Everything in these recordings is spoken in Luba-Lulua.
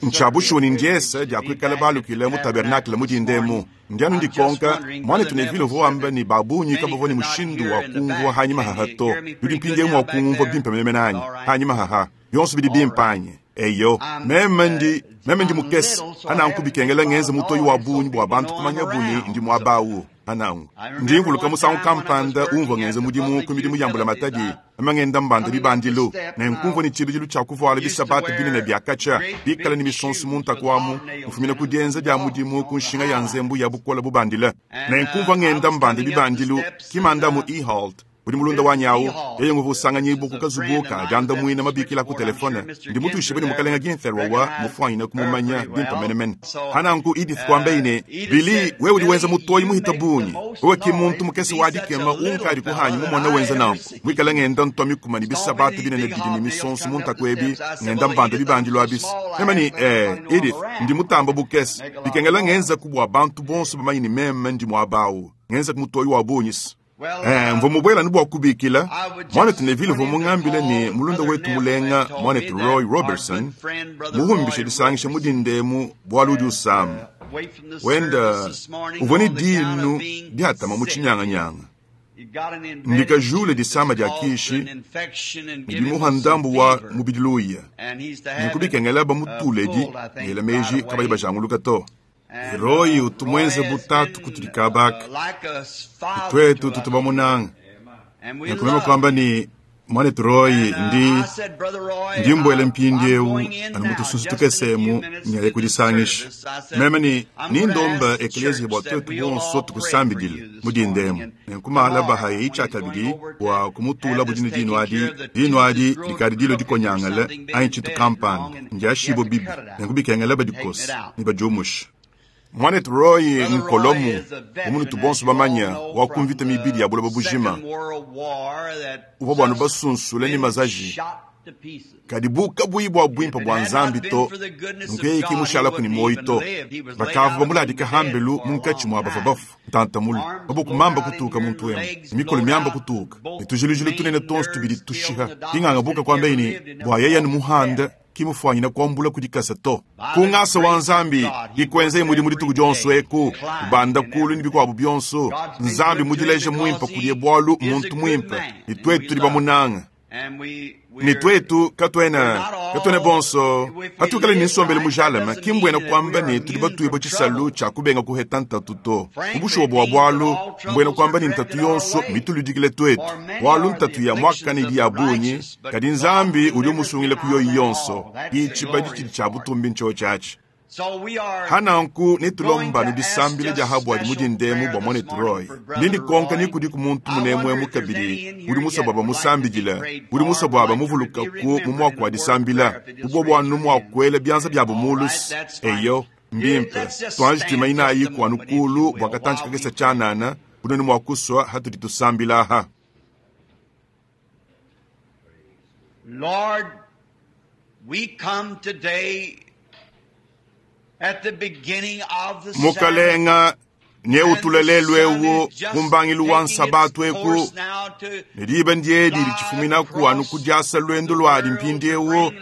Ntshia bushuwa ne ndiese dia kuikala balukile mu tabernakle mu dinda emu. Ndi anu ndikonka, Muanetu Neville uvua wamba ne ba bungi kabavua ne mushindu wa kumvua hanyima haha to. Nudi mpindieu mua kungumvua bimpe menemene anyi? Hanyima haha, bionso bidi bimpe anyi? Eyo. Meme ndi, meme ndi mukese, hananku bikengela ngenze mutoyi wa bungi bua bantu kumanyabu ne ndi muaba au. Hananku, ndi mvuluka musangu kampanda umvua ngenza mudimu ku midimu ya mbulamatadi, meme ngenda mbanda bibandilu, nenku mvua ne tshibidilu tshia kuvuala bisabata binene bia katshia, bikale ne misonso mu ntaku amu, mfumina ku dienza dia mudimu ku nshinga ya nzembu ya bukole bubandile. Nenku mvua ngenda mbanda bibandilu, ki mandamu E. Holt, Udi mulunda wanyi au, yeye nguvua usanganyibua ku kazubu ka diandamuina mabikila ku telefone. Ndi mutuishibue ne Mukalenge Ginther wawa mufuanyine kumumanya bimpe menemene. Pananku Edith kuambaye ne, Billy, wewe udi wenza mutoyi muhite bungi. Wewe ki muntu mukese wa dikema unkadi kuhanyi mumone wenza nanku. Muikale ngenda ntua mikuma ne bisabata binene bidi ne misonso mu ntaku ebi, ngenda mbanda bibandilu abis. Meme ne, Ee, Edith, ndi mutamba bukese. Bikengela ngenzaku bua bantu bonso bamanye ne meme ndi muaba au. Ngenzaku mutoyi wa bungi. Eh, mvua mubuela anu bua kubikila muanetu Neville uvua mungambile ne mulunda wetu mulenga muanetu Roy Robertson muhumbishe disangisha mu dinda emu bualu udi usama. Wenda uvua ne dinu diatama mu tshinyanganyanga. Ndikajule disama dia kishi ne bimuha ndambu wa mubidi luya. Nunku bikengela bamutuledi ngela meji kabayi bajanguluka to. Roy utu muenze bu tatu kutudi kaba aka, tuetu tutu bamunanga. Nenku meme kuamba ne, Muanetu Roy, ndi, ndi mbuela mpindieu anu mu tusunsu tukese emu nyaye kudisangisha. Meme ne, Nindomba ekeleziya bua tuetu bonso tukusambidile mu dinda emu. Nenku malaba hayi tshiakabidi bua kumutulabu dine dinu adi, dinu adi dikadi dilua dikonyangale anyi tshintu kampanda, ndiashibue bibi, nenku bikengela badikose ne badiumushe. Muanetu Roy Nkolomu, bu munutu bonso bamanya, wa ku mvita mibidi ya buloba bujima, uvua buanu basunsule ne mazaji, kadi bu kabuyi bua buimpe bua Nzambi to, nunku yeye ki mushalaku ne muoyo to. Bakavua bamuladika hambelu munkatshi mua bavua bafue, ntanta mule, maboko mamba kutuka muntu emu, ne mikolo miamba kutuka, ne tujilujilu tunene tuonso tubidi tushiha. Kinganga buka kuambaye ne, bua yeye anu muhanda, ki mufuanyine kuambula ku dikasa to. Ku ngasa wa Nzambi, ikuenzeyi mudimu dituku dionso eku, kubanda kulu ne bikuabu bionso. Nzambi mudileje muimpe kudiye bualu mmuntu muimpe, ne tuetu tudi bamunange. Ne tuetu katuena, katuena bonso patuikala ne nsombelu mujalame, ki mbuena kuamba ne tudi batuibue tshisalu tshia kubenga kuheta ntatu to. Mu bushuwa bua bualu, mbuena kuamba ne ntatu yonso mituludikile tuetu, bualu ntatu ya muakane idi ya bungi, kadi Nzambi udi umusungila ku yoyi yonso. Ki tshibadi tshidi tshia butumbi ntshiotshi atshi. Hananku netulomba anu disambila dia habuadi mu dinda emu bua muanetu Roy. Ndi ndikonka ni kudiku muntu munemu emu kabidi udi musue bua bamusambidile, udi musue bua bamuvulukaku mu muaku wa disambila, bu bobu anu mua kuela bianza biabu mulu. Eyo, mbimpe. Tuanji tuimanyinayiku anu kulu bua katantshi kakese tshianana, bu nuenu mua kusua hatudi tusambila aha. Lord, we come today at the beginning of the Mukalenga, neutule lelu eu ku mbangilu wa nsabatu eku, ne diba ndiedi ditshifuminaku anu ku diasa luendu luadi mpindieu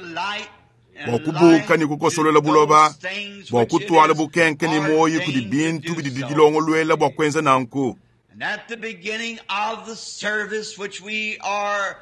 bua kubuka ne kukosolola buloba, bua kutuala bukenke ne muoyo kudi bintu bidi didilongoluela bua kuenza nanku. And at the beginning of the service, which we are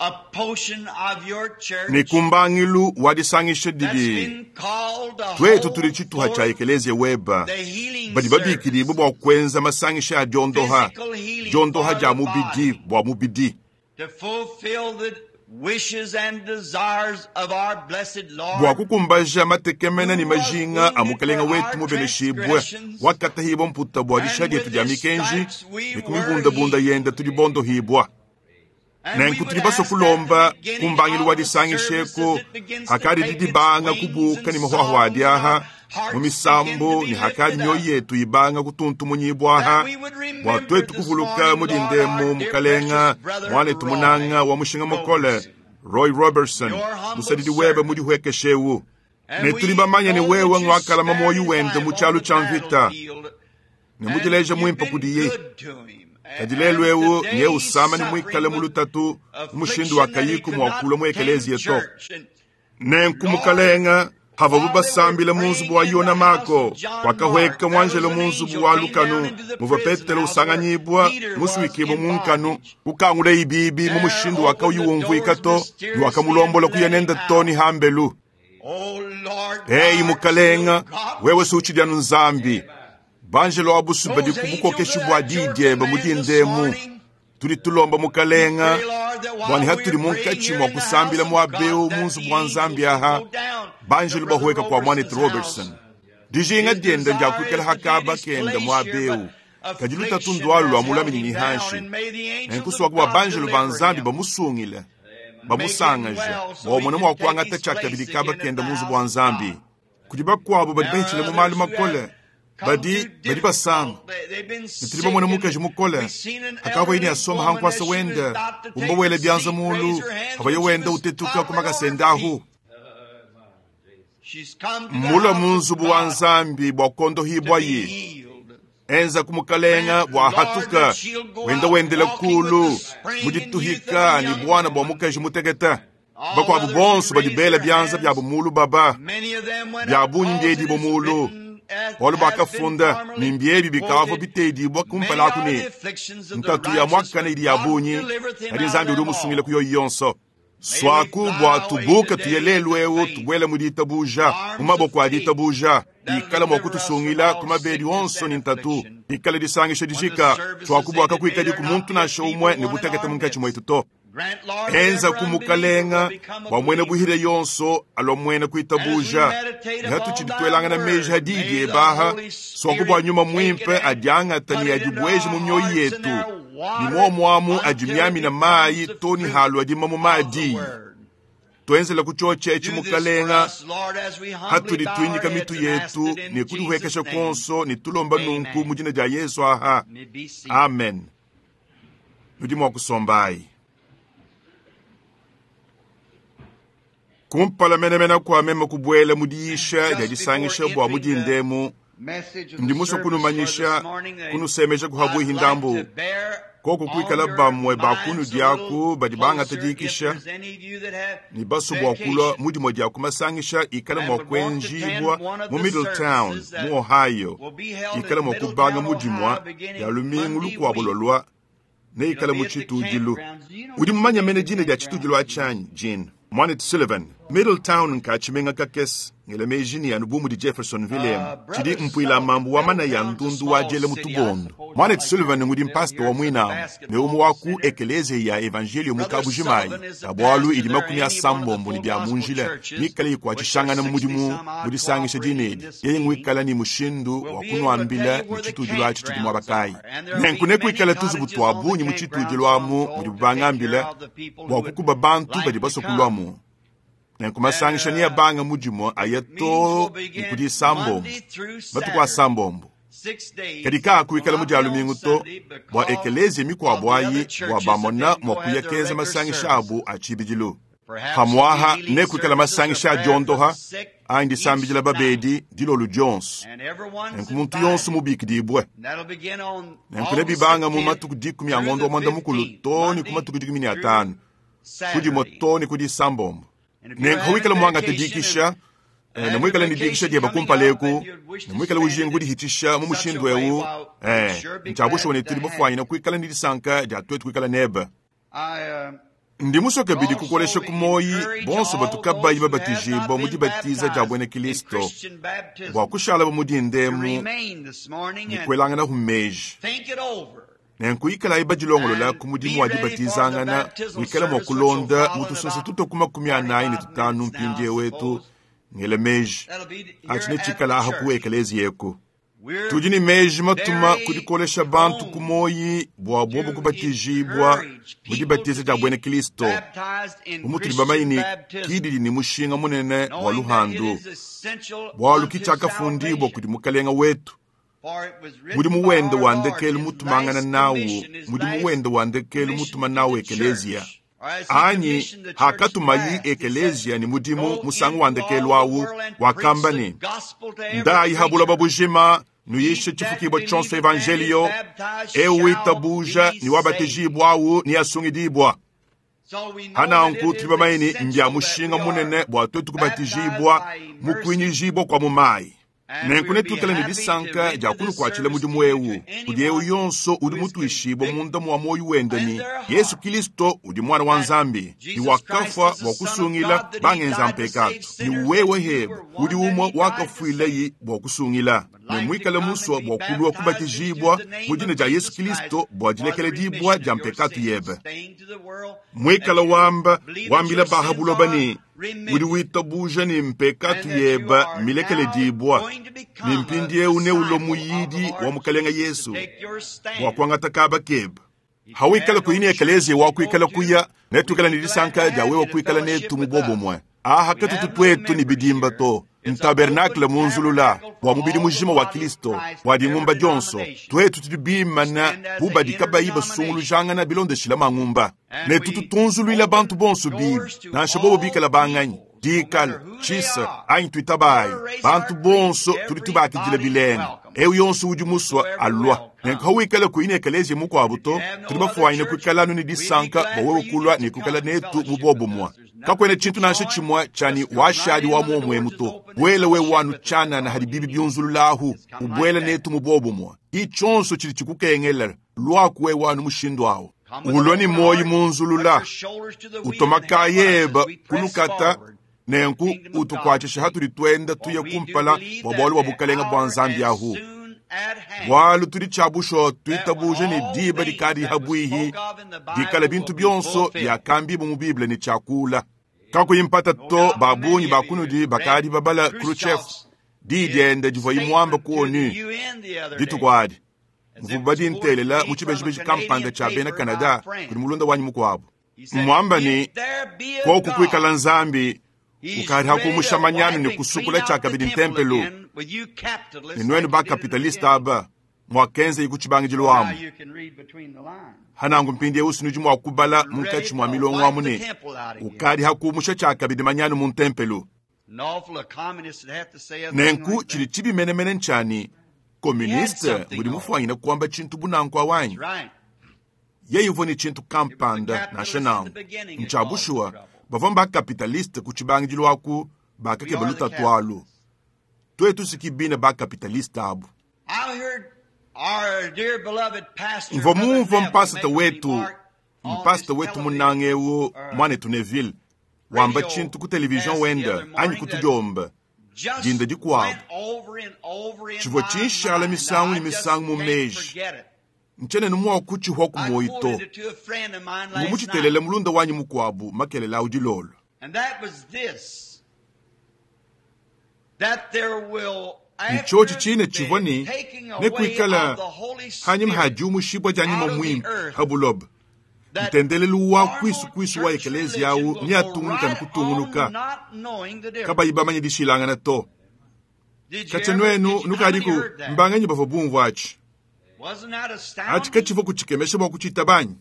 a portion of your church, Ne ku mbangilu wa disangisha that's didi been called the tuetu tudi whole tshituha tshia forth, ekeleziya weba, the healing badi babikidibue service, bua kuenza masangisha a diondoha, physical healing diondoha for dia the mubidi body, bua mubidi, to fulfill the wishes and desires of our blessed bua Lord, kukumbaja matekemena ne who was majinga a wounded Mukalenga for wetu our mubeneshibue, transgressions, wakatahibua mputa bua disha and dietu with dia his mikenji, stripes we ne ku were mibundabunda healed. yenda tudi bondohibua. And we Nenku would tudi basue ask at the kulomba ku beginning mbangilu wa of the disangisha service eku as it begins to hakadi take its didibanga wings kubuka and ne mahwahwa songs adi and aha our mu hearts begin to misambu be ne hakadi lifted mioyo up, yetu ibanga kutuntumunyibua that aha we would bua remember tuetu this kuvuluka morning, mu Lord, dinda our emu dear Mukalenga precious brother muanetu Roy munanga wa mushinga mukole Robertson, Roy Robertson your humble musadidi webe servant. mudihuekeshe eu. And Ne tudi we bamanye ne know wewe that you ngwakalama spared muoyo his wende life mu on tshialu the tshia mvita battlefield, ne and mudileja you've muimpe been kudiye. good to him. Kadi lelu And eu today nye he's usama ne suffering muikale mu with lutatu mu mushindu wa affliction that he kayiku could mua not kulua mu attend ekeleziya to. church. And Nenku Lord, Mukalenga, Havuabu basambila mu nzubu wa Yona Mako, wakahueka muanjelo mu nzubu wa lukanu muvua Petelo usanganyibua musuikibue mu nkanu, kukangula ibibi mu mushindu wakauyi umvuika to, ne wakamulombola kuya nende too ne hambelu. Eyi Mukalenga, wewe si utshidi anu Nzambi. Banjelo abusu badi ku bukokeshi bua diyi diebe mu dinda emu. Tudi tulomba Mukalenga bua ne hatudi munkatshi mua kusambila muaba eu mu nzubu wa Nzambi aha, banjelo bahueka kua muanetu Robertson. Dijinga diende ndia kuikala hakaba kende muaba eu, kadi lutatu ndualu lua mulaminyi ne hanshi. Nenku suaku bua banjelo ba Nzambi bamusungile, bamusangaje, bua umone mua kuangata tshiakabidi kaba kende mu nzubu wa Nzambi. Kudi bakuabu badi bahitshile mu malu makole, badi badi basama. Ne tudi bamone mukaji mukole akavua yine asomba ha nkuasa wende, umba wela bianza mulu, havaye wenda utetuka ku makasa ende ahu. Mmulue mu nzubu wa Nzambi bua kuondohibwaye. Enza ku mukalenga bua hatuka, wenda wendela kulu mu dituhika ne buana bua mukaji mutekete. Bakuabu bonso badi bela bianza biabu mulu baba, bia bungi mbiedibue mulu. Bualu bakafunda ne mbiebi bikavua bitedibua kumpala aku ne, ntatu ya muakane idi ya bungi, kadi Nzambi udi umusungila ku yoyi yonso. Suaku bua tubuke tuye lelu eu tubuele mu ditabuja, mu maboko a ditabuja, ikala mua kutusungila ku mabedi onso ne ntatu, ikala disangisha dijika. Suaku bua kakuikadi ku muntu nansha umue ne butekete munkatshi muetu to. Enza ku Mukalenga bua muena buhire yonso alua muena kuitabuja. Ne hatutshidi tuelangana meji ha diyi diebe aha, suaku bua nyuma muimpe adiangata ne adibueje mu mioyo yetu, ne muomuamu adimiamina mayi to ne halu adima mu maadi. Tuenzela ku tshiotshi etshi Mukalenga, hatudi tuinyika mitu yetu ne kudihuekesha kuonso ne tulomba nunku mu dina dia Yesu aha. Amen. Nudi mua kusombayi. Kumpala menemene kua meme kubuela mu diyisha dia disangisha bua mu dinda emu, ndi musue kunumanyisha, kunusemeja kuhabuihi ndambu. Koku kuikala bamue ba kunudi aku badi bangata dikisha ne basue bua kulua mu dimue dia ku masangisha ikala mua kuenjibua mu Middletown, mu Ohio, ikala mua kubanga mu dimue dia lumingu lukuabo lualua, neikale mu tshitudilu. Udi mumanye mene dina dia tshitudilu atshi anyi, Gene? Muanetu Sullivan, Middletown nka tshimenga kakese, ngela meji ne anu bu mudi Jeffersonville emu, tshidi mpuila mambu wa manaya ndundu wa diela mu tubondo. Muanetu Sullivan ngudi mpasita wa muinamu ne umue wa ku ekeleziya ya evanjelio mu Kabujimayi, ka bualu idi 60 ne bia mu njila mikale ikuatshishangana mu mudimu mu disangisha dine edi. Yeye nguikala ne mushindu wa kunuambila ne tshitudilu atshi tshidi muaba kayi. Nenku nekuikale tuzubu tua bungi mu tshitudilu amu mudibu bangambila bua kukuba bantu badi basue kuluamu. Nenku masangisha neabanga mu dimue aya too ne ku disambombo, matuku asambombo. Kadi kaakuikala mu dia lumingu to, bua ekeleziya mikuabu ayi bua bamona mua kuya kenza masangisha abu a tshibidilu. Pamuaha nekuikala masangisha a diondoha anyi disambidila babedi dilolo dionso. Nenku muntu yonso mubikidibue. Nenku nebibanga mu matuku 10 a ngondo wa mwanda mukulu too ne ku matuku 15, ku dimue too ne ku disambombo. Nenku wikala muangate dikisha, ne muikale ne dikisha diebe kumpala eku, ne muikale ujinga kudihitisha mu mushindu eu, ntshia bushuwa ne tudi bafuanyine kuikala ne disanka dia tuetu kuikala nebe. Ndi musue kabidi kukolesha ku muoyi bonso batu kabayi babatijibua mu dibatiza dia buena Kilisto, bua kushalabo mu dinda emu ne kuelanganahu meji. Nenku ikalayi badilongolola ku mudimu wa dibatizangana, wikale mua kulonda mu tusoso tutue ku 45 mpindieu etu, ngela meji atshi netshikala aha ku ekeleziya eku. Tudi ne meji matuma ku dikolesha bantu ku muoyi bua bobu kubatijibua mu dibatiza dia buena Kilisto, bu mutudi bamanye ne ki didi ne mushinga munene bua luhandu, bualu ki tshiakafundibua kudi Mukalenga wetu. Mudimu wende wa ndekelu mutumangana nawu, mudimu wende wa ndekelu mutuma nawu ekeleziya. Anyi hakatumayi ekeleziya ne mudimu musangu wa ndekelu awu, wakamba ne, ndayi ha buloba bujima, nuyishe tshifukibua tshionso evanjelio, eu witabuja ne wabatijibua awu ne asungidibua. Hananku tudi bamanye ne mbia mushinga munene bua tuetu kubatijibua mu kuinyijibua kua mu mayi. Nenku netuikale ne disanka dia kunukuatshila mudimu eu kudi eu yonso udi mutuishibue munda mua muoyo wende ne Yesu Kilisto udi Muana wa Nzambi ne wakafua bua kusungila bangenza mpekatu, ne wewe hebe udi umue wakafuilayi bua kusungila, ne muikale musua bua kulua kubatijibua mu dina dia Yesu Kilisto bua dilekeledibua dia mpekatu yebe. Muikale wamba wambila baha buloba ne udi witabuja ne mpekatu yebe milekeledibua, ne mpindieu neulue muyidi wa Mukalenga Yesu bua kuangata kaba kebe. Hawikala kuyi ne ekelezia wa kuikala kuya, netuikale ne disanka dia wewe kuikala netu mu bobumue. Aha katutu tuetu ne bidimba to, ntabernakle munzulula bua mubidi mujima wa Kristo, bua dingumba dionso. Tuetu tudi bimana bu badi kabayi basungulujangana bilondeshila mangumba, ne tutu tunzuluila bantu bonso bibi, nansha bobo bikala banganyi, dikala tshisa anyi tuitabayi. Bantu bonso tudi tubakidila bilenga. Eu yonso udi musua alua. Nenku hawikala kuyi ne ekelezia mukuabu to, tudi bafuanyine kuikala anu ne disanka bua wewe kulua ne kuikala netu mu bobumue. Kakuena tshintu nansha tshimue tshia washadi wa muomuemu to. Buela wewe wanu tshianana hadi bibi biunzululahu, ubuela netu mu bobumue. Itshonso tshidi tshikukengela, luaku wewe wanu mushindu awu. Ulua ne muoyo munzulula, utomaka yeba kulukata, nenku utukuatshisha hatudi tuenda tuya kumpala bua bualu bua bukalenga bua Nzambi ahu. Bualu tudi tshiabusho tuitabuje ne diba dikadi habwihi dikala bintu bionso byakambibu mu Bible ne tshiakula. Kakuyi mpata to babungi bakunudi bakadi babala Khrushchev di diende divua imuamba ku ONU dituku adi. Mvua badintelela mu tshibejibeji kampanda tshia bena Canada kudi mulunda wanyi mukuabu. Muamba ne koku kuikala Nzambi ukadi hakumusha manyanu ne kusukula tshiakabidi ntempelo ne nuenu bakapitaliste aba muakenza ku tshibangidilu amu. Hanangu mpindieu sinudi mua kubala munkatshi mua milongo amu ne ukadi hakumusha tshiakabidi manyanu mu ntempelo. Nenku tshidi tshibi menemene ntshia komuniste udi mufuanyine kuamba tshintu bunanku awanyi. Yeye uvua ne tshintu kampanda nansha nangu ntshia bushuwa bavua bakapitaliste ku tshibangidilu aku bakakeba lutatu alu. Tuetu sikibine bakapitaliste abu. Mvua mumvua mpasita wetu munange eu mwanetu Neville wamba tshintu ku television wenda anyi kutudiomba dinda dikuabu tshivua tshinshala misangu ne misangu mu meji. Ntshiena mua kutshihwa ku muoyo to. Ngumutshitelele mulunda wanyi mukuabu makelela awu dilolo. Ntshiotshi tshine tshivua ne nekuikala hanyima ha diumushibua dia nyuma muimpe ha buloba. Ntendelelu wa kuisu wa ekelezia awu neatungunuka ne kutungunuka kabayi bamanye dishilangana to. Katshia nuenu nukadiku mbanganyi bavua bumvua atshi. Atshi katshivua kutshikemesha bua kutshita banyi.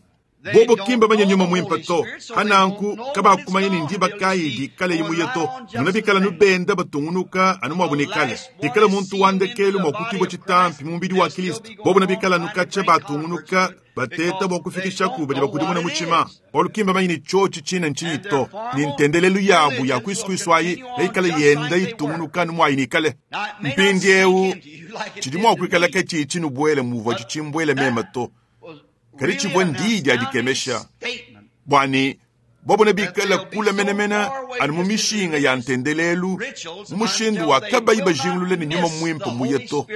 Bobo kimba manya nyuma muimpe to. Hananku kabakumanya ne ndiba kayi dikale imuye to. Nuna bikala nubenda batungunuka anu muabu ne kale. Dikala muntu wa ndekelu mua kutibua tshitampi mu mubidi wa Kristo. Bobo na bikala nukatsha batungunuka bateta bua kufikishaku badi bakudimuna mutshima. Bualu kimba manya ne tshiotshi tshina ntshinyi to. Ne ntendelelu yabu ya kuisukuisu ayi neikale yenda itungunuka anu muayi nikale. Mpindieu tshidi mua kuikala ketshi tshinubuele muvua tshitshimbwele mema to. Kadi tshivua ndiyi dia dikemesha bwani bobo ne bikala kula menemene anu mu mishinga ya ntendelelu mu mushindu wa kabayi bajingulule ne nyuma muimpe muye to.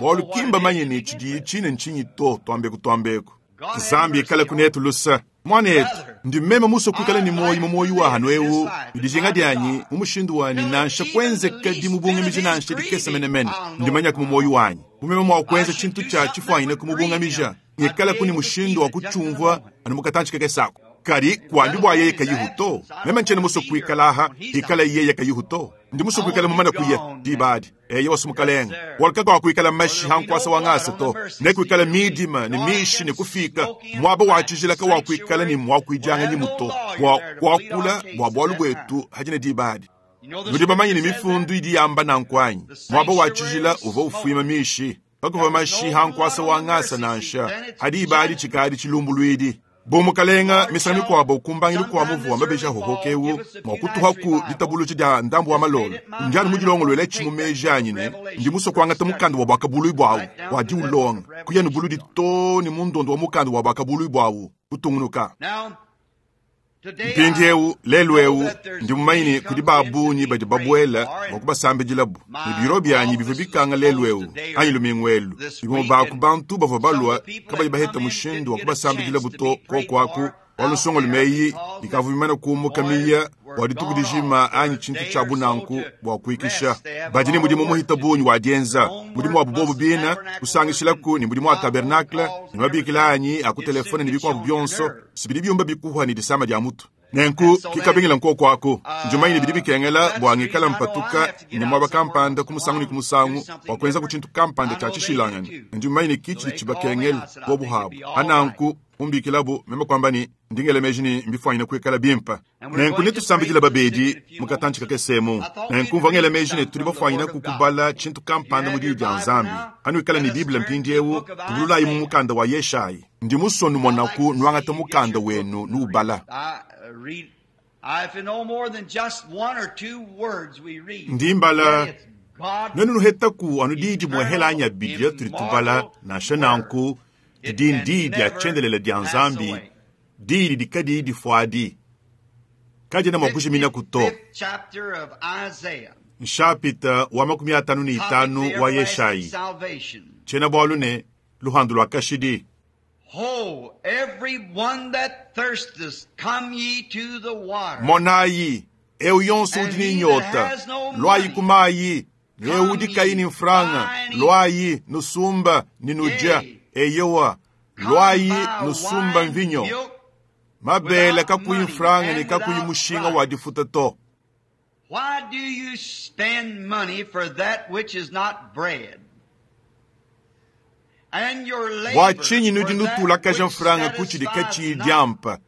Bualu kimba manye ne tshidi tshine ntshinyi to twambeku twambeku. Nzambi ikale kunetu lusa. Mwanetu, ndi meme musue kuikala ne muoyo mu muoyo wa hanu eu, ne dijinga dianyi mu mushindu wanyi nansha kuenzeka dimubungamija nansha dikese menemene. Ndimanya ku muoyo wanyi. Bu meme mua kuenza tshintu tshia tshifuanyine kumubungamija, ngikala kuni mushindu wa kutshiumvua anu mukatantshi kakesako. Kadi kuambi bua yeye kayihu to. Meme ntshiena musue kuikala aha, ikala yeye kayihu to. Ndi musue kuikala mumane kuya dibadi. Eye wasu mukalenga. Waluka kwa kuikala mashi hankwasa wa ngasa to. Ne kuikala midima ne mishi ne kufika. Mwaba wa tshijila wa kuikala ne mwa kuijanga ni muto. Bua kuakula bua bualu bwetu hajina dibadi. Nudi bamanye ne mifundu idi yamba nankwanyi. Mwaba wa tshijila uvua ufuima mishi. Pakuva mashi hankwasa wa ngasa nansha. Hadi ibadi tshikadi tshilumbuluidi. Bu mukalenga misangu mikuabo kumbangilu kua muvu wa mabeji ahohoka ewu mua kutuhaku ditabuluja dia ndambu wa malolo. Ndi anu mudilongoluele tshi mu meji anyi ne ndi musue kuangata mukanda wa buakabuluibua buawu bua diulonga kuya ne buludi too ne mu ndondo wa mukanda wa buakabuluibua buawu kutungunuka. Mpindiewu lelu ewu ndi mumanye ne kudi ba bungi badi babuela bua kubasambidilabu ne biro bianyi bivua bikanga lelu ewu anyi lumingu elu. Bimue ba ku bantu bavua balua kabayi baheta mushindu wa kubasambidilabu to koko aku bualu nsongalume eyi ikavua mimane kumuka miya bua dituku dijima anyi tshintu tshia bunanku bua kuikisha. Badi ne mudimu muhita bungi wa dienza mudimu wabu bobu bina kusangishilaku ne mudimu wa tabernacle ne mabikila anyi a ku telefone ne bikuabu bionso sibidi biumba bikuhwa ne disama dia mutu. Nenku kikabingila nkoko aku ndimanye ne bidi bikengela bua ngikala mpatuka ne muaba kampanda ku musangu ne ku musangu bua kuenza ku tshintu kampanda tshia tshishilangane. Ndimanye ne kitshidi tshibakengela bobu habu ananku kumbikilabu meme kuamba ne ndingele meji ne mbifuanyine kuikala bimpe. Nenku netusambidile babedi mukatantshi kakesemu. Nenku mvua ngela meji ne tudi bafuanyine kukubala tshintu kampanda mu diyi dia Nzambi. Anuikala ne Bible mpindiewu, tubululayi mu mukanda wa Yeshayi. Ndi musue numonaku nuangata mukanda wenu nuubala. Ndi mbala nuenu nuhetaku anu diyi dimue hela anyi abidi atudi tubala nansha nanku didi ndiyi dia tshiendelele dia Nzambi, diyi didi kadiyi difuadi, kadiena mua kujiminaku to. Nshapita wa 55 wa Yeshayi, tshiena bualu ne luhandu lua kashidi. Ho, every one that thirsteth, come ye to the water. Monayi, eu yonso udi ne nyota, lwayi ku mayi, ne eu udi kayi ne mfranga, lwayi nusumba ne nudya. Eyowa, lwayi nusumba mvinyo. Mabele kakuyi mfranga ne kakuyi mushinga wa difuta to. Why do you spend money for that which is not bread? And your labor Bua tshinyi nudi for that nutulakaja which mfranga ku tshidi katshiyi satisfies not? diampa,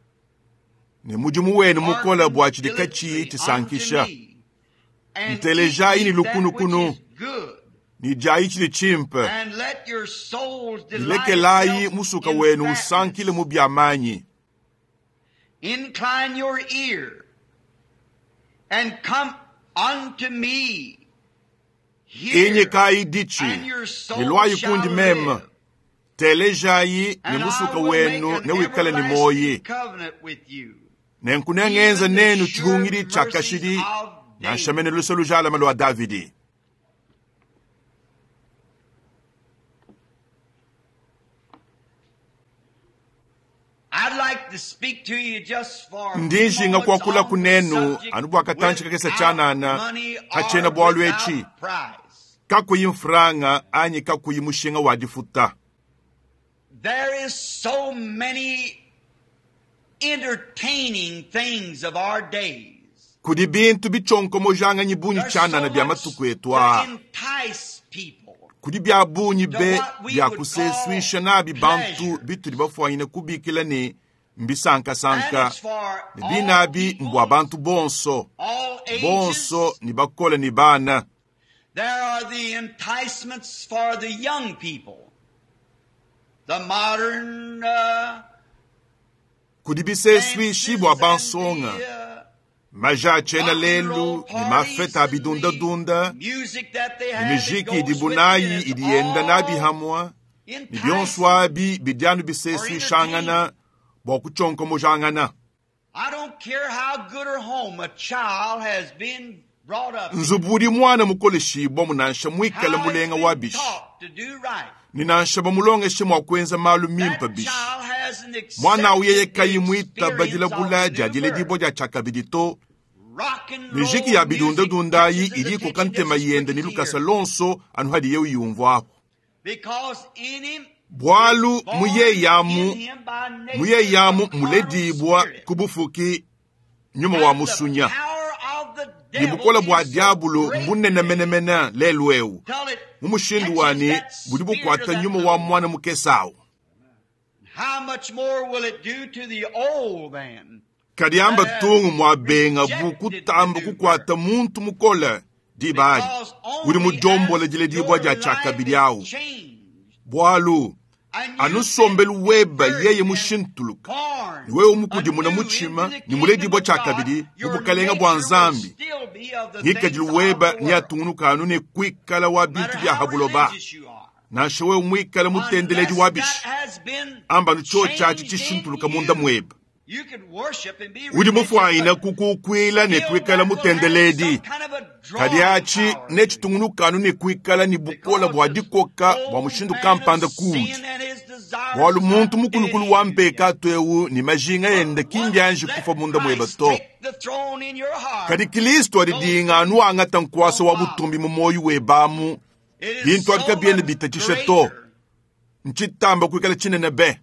ne mudimu wenu mukola bua tshidi Hearken katshiyi diligently tshisankisha. unto me, and Ntelejayi eat ne ye that lukunukunu. which is good, Ne diayi tshidi tshimpe. and let your souls delight Lekelayi itself musuka in wenu fatness. usankile mu bia manyi. Incline your ear and come unto me. Hear, Inyikayi ditshi, and your soul ne lwayi shall kundi meme. live. Telejayi ne And I musuka will make wenu an ne wikale ne everlasting moyi. covenant with you. Nenku nengenza Even the nenu sure tshihungidi tshia mercies kashidi, of nansha David. mene luse lujalame lua Davidi. I'd like to speak to you just for a few Ndi njinga moments kuakula on the kunenu subject anu bua katantshi kakese without tshianana money hatshiena or bualu without etshi. price. Kakuyi mfranga anyi kakuyi mushinga wa difuta. There is so many entertaining things of our days. Kudi bintu bichonkomojanganyi bungi There's so tshianana bia much matuku etu to aa. entice people. Kudi bia bungi To be what we bia would call kusesuisha nabi bantu pleasure. bitudi bafuanyine kubikila ne And mbisankasanka. it's for Ne all binabi mbua people, bantu bonso, all ages. bonso ni bakole ni bana. There are the enticements for the young people. The modern Kudi bisesuishi bua dances and bansonga, the, maja a tshiena rock and lelu roll ne parties mafeta a and the bidundadunda, music that they ne have that mijiki goes idi with it. bunayi It's idi yenda nabi all hamwa, ne bionso enticing abi bidi anu or bisesuishangana entertaining. bua kuchonkomojangana. I don't care how good or home a child has been brought up in, Nzubu udi mwana mukoleshibwa munansha muikale how it's mulenga wa been bishi, taught to do right. ne nansha bamulongeshe mua kuenza malu mimpe That bishi. child hasn't Mwana awu yeye accepted the kayi muitaba experience of dilabula the dia new diledibwa birth. dia tshiakabidi to. Rock and Mijiki roll ya music bidundadunda ayi catches his idi ikoka attention ntema just as yende quick ne as he lukasa hears it. lonso anu hadiye uyumvuaku. Because in him Bualu is born muyeyamu in him by nature muyeyamu a carnal muledibwa spirit. ku bufuki nyuma wa And the musunya. power of the Ne devil bukola bua is so diabolo great mbunene today menemene lelu ewu. till it Mu mushindu catches wani that budi spirit of bukuata that nyuma wa little one. mwana mukese awu. How much more will it do to the old man Kadi amba that has tungu mua benga bu rejected the kutamba new kukuata birth? muntu mukole diba adi Because udi only mujombola as diledibwa your dia life tshiakabidi is awu. changed Bualu Anu nsombelu webe yeye mushintuluka ne wewe mukudimuna mutshima ne muledibua tshiakabidi mu bukalenga bua Nzambi, ngikadilu webe neatungunuka anu ne kuikala wa bintu bia ha buloba. Nansha wewe muikale mutendeledi wa bishi, amba anu tshiotshi atshi tshishintuluka munda muebe. Udi mufuanyine kukukuila ne kuikala mutendeledi, kadi atshi netshitungunuka anu ne kuikala ne bukola bua dikoka bua mushindu kampanda kuudi, bualu muntu mukulukulu wa mpekatu eu ne majinga ende ki mbianji kufa munda muebe to. Kadi Kristo adidinga anu angata nkuasa wa butumbi mu muoyo webe amu, bintu abi kabiena bitatshisha to. Ntshitamba kuikala tshinene be.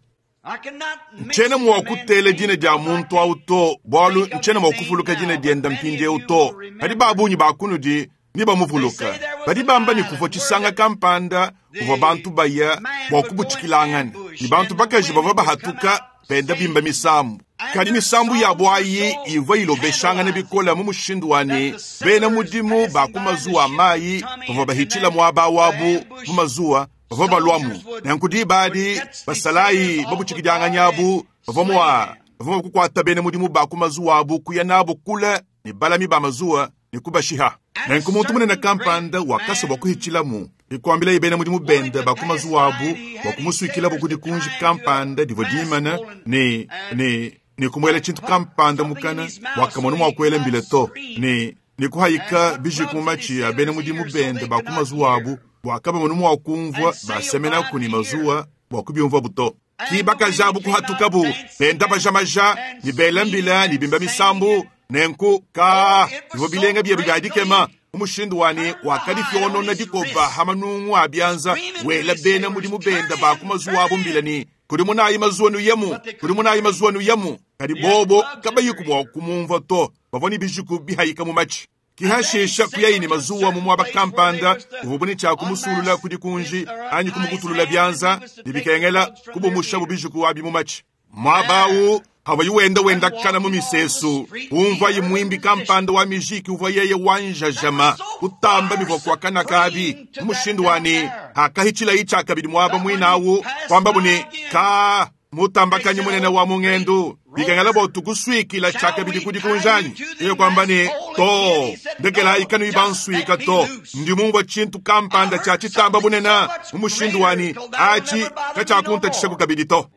Ntshiena mua kutela dina dia muntu au to, bualu ntshiena mua kuvuluka dina diende mpindieu to. Kadi ba bungi ba kunudi nebamuvuluka. Badi bamba ne kuvua tshisanga kampanda kuvua bantu baya bua kubutshikilangana, ne bantu bakaji bavua bahatuka benda bimba misambu. Kadi misambu yabu ayi ivua ilobeshangana bikole mu mushindu wa ne bena mudimu ba ku mazuwa a mayi bavua bahitshila muaba wabu mu mazuwa bavua baluamu. Nanku diba adi basalayi babutshikidianganyi abu bavua mua kukuata bena mudimu ba ku mazuwa abu kuya nabu kule ne balami ba mazuwa ne kubashiha. Nanku muntu munene kampanda wakasa bua kuhitshilamu ikuambilaye bena mudimu bende ba ku mazuwa abu bua kumusuikilabu ku dikunji kampanda divua dimana ne ne ne kumuela tshintu kampanda mukana bua kamona mua kuela mbila to, ne ne kuhayika bijiku mu matshi a bena mudimu bende ba ku mazuwa abu bua kabamona mua kumvua basemenaku ne mazuwa bua kubiumvuabu to. Ki bakajabu kuhatukabu benda bajamaja ne bela mbila ne bimba misambu. Nenku ka bivua bilenga biebe bia dikema mu mushindu wa ne wakadifionona dikoba ha manungu a bianza wela bena mudimu benda ba ku mazuwa abu mbila ne kudimunayi mazuwa nuyemu, kudimunayi mazuwa nuyemu. Kadi bobo kabayiku mua kumumvua to, bavua ne bijiku bihayika mu matshi. Kihashisha kuyayi ne mazuwa mu muaba kampanda uvua ne tshia kumusulula ku dikunji anyi kumukutulula bianza ne bikengela kubumusha bijiku abi mu matshi. Muaba awu havua wenda wenda kana mu misesu, umvua mwimbi kampanda wa mijiki uvua yeye wanjajama kutamba bivua kuakana kabi mu mushindu wa ne hakahitshilayi tshiakabidi muaba muinawu kwambabu ne ka mutambakanyi munene wa mungendu bikengela bua tukusuikila tshiakabidi ku dikunjanyi. Yeye kwamba ne to ndekelayi kanuyi bansuika to, ndi mumvua tshintu kampanda tshia tshitamba bunene mu mushindu wa ne atshi katshiakuntatshishaku kabidi to.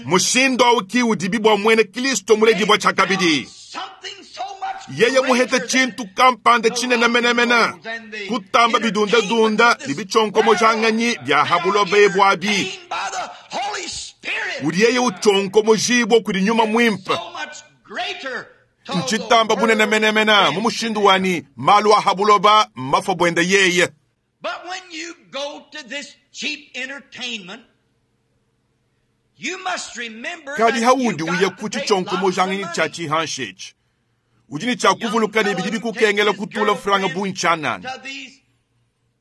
Mushindu awu ki udibi bua muena Kristo muledibua tshiakabidi. Yeye muhete tshintu kampanda tshinene menemene kutamba bidundadunda ne bitshonkomojanganyi bia ha buloba ebu abi. Udi yeye utshonkomojibua kudi nyuma muimpe. Ntshitamba bunene menemene mu mushindu wa ne malu a ha buloba mafua buende yeye. But when you go to this cheap entertainment, you must remember Kadi haudi uya ku tshitshonkomojanganyi tshia tshihanshi udi ne tshia kuvuluka ne bidi bikukengela kutula franga bunchanana.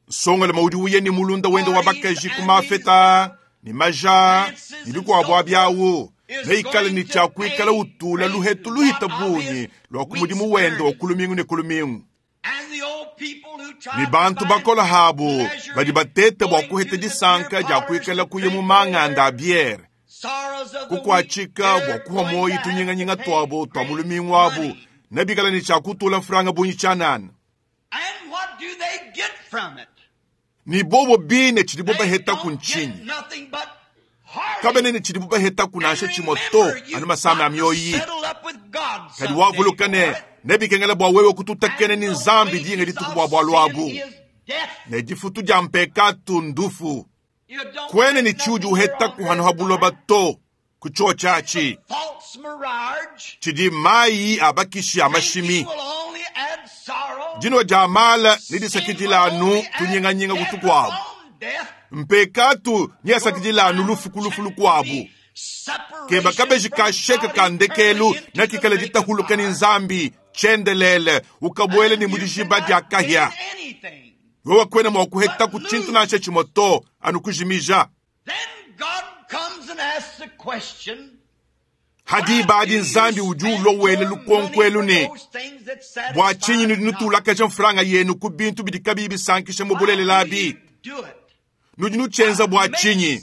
Nsongaluma udi uya ne mulunda wende wa bakaji ku mafeta ne maja ne bikuabu abiawu neikale ne tshia kuikala utula luhetu luhita bungi lua ku mudimu wende wa kulumingu ne kulumingu. Ne bantu bakola habu badi batete bua kuheta disanka dia kuikala kuya mu manganda a biere kukuatshika bua kuha moyi tunyinganyinga tuabo tua mu lumingu abu nebikala ne tshia kutula franga bungi tshianana. Ni bobo bine tshidibo baheta ku ntshinyi? Kabene ne tshidibo baheta ku nansha tshimue to anu masama a mioyi. Kadi wavuluka ne nebikengela bua wewe kututakene ni Nzambi dinga dituku bua bualu abu. Ne difutu dia mpekatu ndufu. Kwene ni tshiudi uheta kuhanu ha buloba to ku tshiotshi tshidi mayi abakishi a mashimi. Dino dia mala ne disakidila anu tunyinganyinga kutukuabu. Mpekatu nyasakidila anu lufu lukuabu. Keba kabeji kasheka kandekelu nakikala ditahuluka ni Nzambi tshiendelele ukabuele ni mudijiba dia kahia. Wewe kwena mua kuheta ku tshintu nansha tshimue to anu kujimija. Ha diba adi Nzambi udi ulua wela lukonko elu ne, Bua tshinyi nudi nutulakaja mfranga yenu ku bintu bidi kabiyi bisankisha mu bulelela abi? Nudi nutshienza bua tshinyi?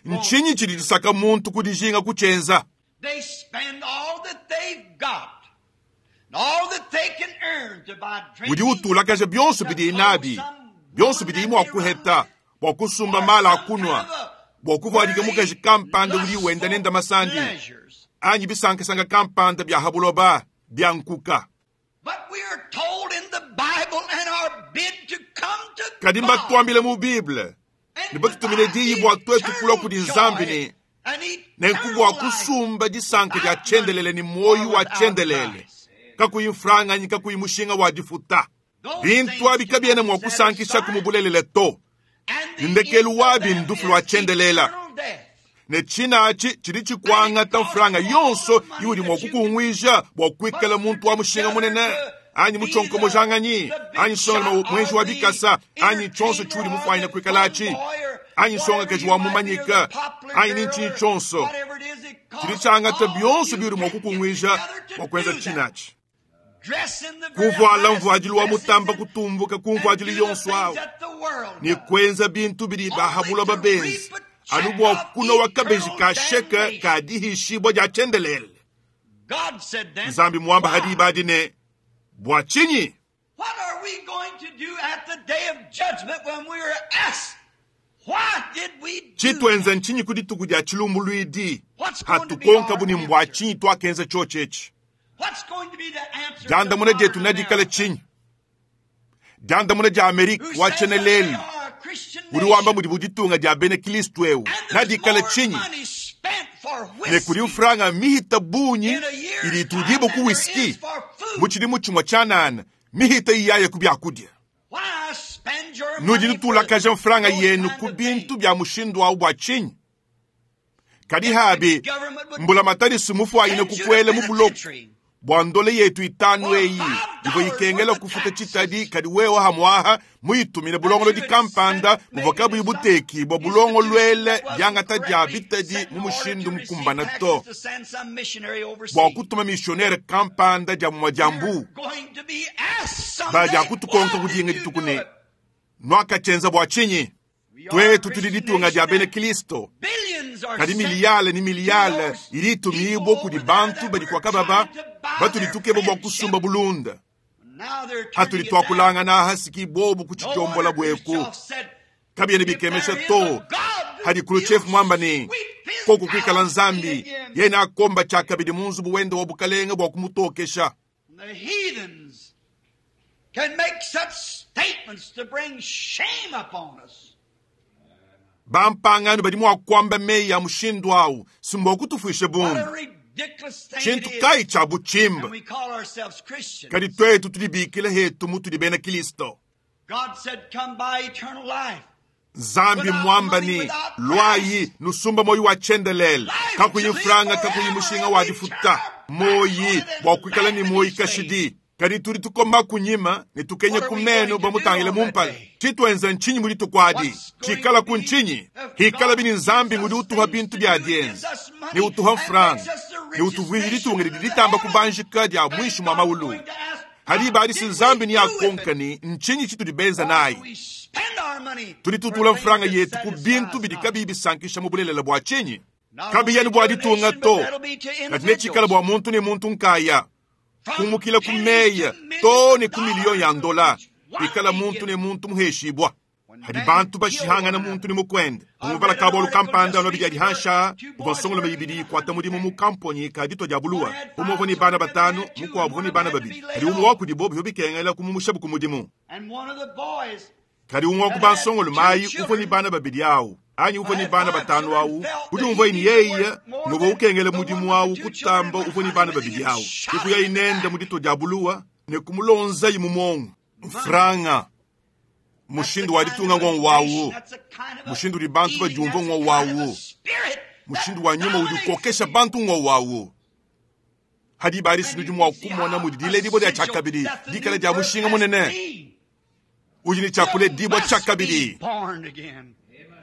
Ntshinyi tshidi tshisaka muntu ku dijinga kutshienza? Udi utulakaja bionso bidiye nabi, bionso bidiye mua kuheta bua kusumba mala a kunua, bua kuvuadika mukaji kampanda udi wenda nende masandi, anyi bisankasanka kampanda bia ha buloba bia nkuka. Kadi mbatuambile mu Bible ne batutumine diyi bua tuetu kulua kudi Nzambi ne nenku bua kusumba disanka dia tshiendelele ne muoyo wa tshiendelele, kakuyi mfranga anyi kakuyi mushinga wa difuta. Bintu abi kabiena mua kusankishaku mu bulelela to. Ne ndekelu wabi ndufu lua tshiendelela. Ne tshina atshi tshidi tshikuangata mfranga yonso iudi mua kukunguija bua kuikala muntu wa mushinga munene, anyi mutshionkomojanganyi, anyi nsongalume muenji wa bikasa, anyi tshionso tshiudi mufuanyine kuikalatshi, anyi nsongakaji wa mumanyika, anyi ni ntshinyi tshionso. Tshidi tshiangata bionso biudi mua kukunguija bua kuenza tshina atshi. Kuvuala mvuadilu wa mutamba kutumbuka ku mvuadilu yonso awu, ne kuenza bintu bidi ba ha buloba benza, anu bua kunowa kabeji ka sheke ka dihishibua dia tshiendelele. Nzambi muamba ha diba adi ne, Bua tshinyi? Tshituenza ntshinyi ku dituku dia tshilumbuluidi hatukonkabu ne mbua tshinyi tuakenza tshiotshi etshi? Diandamuna dietu nedikale tshinyi? Diandamuna dia Amerike wa tshiena-lelu udi wamba mudibu ditunga dia bena Kristo eu nedikale tshinyi? Ne kudi mfranga mihita bungi idi itudibua ku whisky mu tshidimu tshimue tshianana, mihita iyaya ku biakudia. Nudi nutulakaja mfranga yenu ku bintu bia mushindu au bua tshinyi? Kadi habi mbulamatadi sumufuanyine kukuela mu buloko bua ndole yetu itanu eyi ivua ikengela kufuta tshitadi, kadi wewe hamuaha muyitumine bulongolodi kampanda buvua kabuyi butekibua bulongoluele diangata dia bitadi mu mushindu mukumbana to, bua kutuma missionnaire kampanda dia mumue dia mbu. Badia kutukonka kudinga dituku ne, Nuakatshienza bua tshinyi? Tuetu tudi ditunga dia bena Kristo, kadi miliyale ne miliyale idi itumibua kudi bantu badi kwa kababa batudi tukeba bua kusumba bulunda. Hatudi tuakulangana aha siki bobu kutshidiombola bueku. Kabiena bikemesha to hadi Khrushchev muamba ne, koku kuikala Nzambi, yena akomba tshiakabidi mu nzubu wende wa bukalenge bua kumutokesha. The heathens can make such statements to bring shame upon us. Bampangano badi mua kuamba meyi a mushindu au si mbua kutufuisha What bundu. a ridiculous thing Tshintu it is. kayi tshia butshimba. And we call ourselves Christians. Kadi tuetu tudibikila hetu mutudi bena Kristo. God said, come buy eternal life. Nzambi mwamba ni lwayi nusumba moyi wa tshiendelele, kakuyi mfranga, kakuyi mushinga wa difuta, moyi bua kuikala ne moyi kashidi. Kadi tudi tukoma kunyima ne tukenye ku meno bamutangile mumpala. Tshituenza ntshinyi mu dituku adi? Tshikala ku ntshinyi? Hikala bini Nzambi ngudi utuha bintu bia dienza, ne utuha mfranga, ne utuvuija ditunga didi ditamba kubanjika dia muinshi mua maulu. Hadi ibadisi Nzambi ni akonka ni ntshinyi tshitudi benza nayi? We spend our money Tudi tutula mfranga yetu ku bintu bidi kabiyi bisankisha mu bulelela bua tshinyi? Kabiya ni bua ditunga to, kadi netshikala bua muntu ne muntu nkaya, kumukila ku meya to ne ku miliyo ya ndola, ikala muntu ne muntu muheshibua. Hadi bantu bashihangana muntu ne mukwende umuvala kabolu kampanda ano bidi adihansha uvua nsongolome ibidi ikuata mudimu mu kamponyi ka ditua dia buluwa. Umue uvua ne bana batanu, mukuabu uvua ne bana babidi. Kadi umue wa kudibo bivua bikengela kumumushabu ku mudimu. And one of the boys Kadi umue wa ku bansongolume ayi uvua ne bana babidi awu, anyi uvua ne bana batanu awu, udi umvua ne yeye nguvua ukengela mudimu awu kutamba uvua ne bana babidi awu. Ke kuyayi nende mu ditua dia buluwa ne kumulonzayi mu muongo. Mfranga mushindu wa ditunga ng'o wawu, mushindu udi bantu badiumvua ng'o wawu, mushindu wa nyuma udi ukokesha bantu ng'o wawu. Hadi ibadisi nudi mua kumona mudi diledibua dia tshiakabidi dikala dia mushinga munene. Udi ne tshiakuledibua tshiakabidi born again.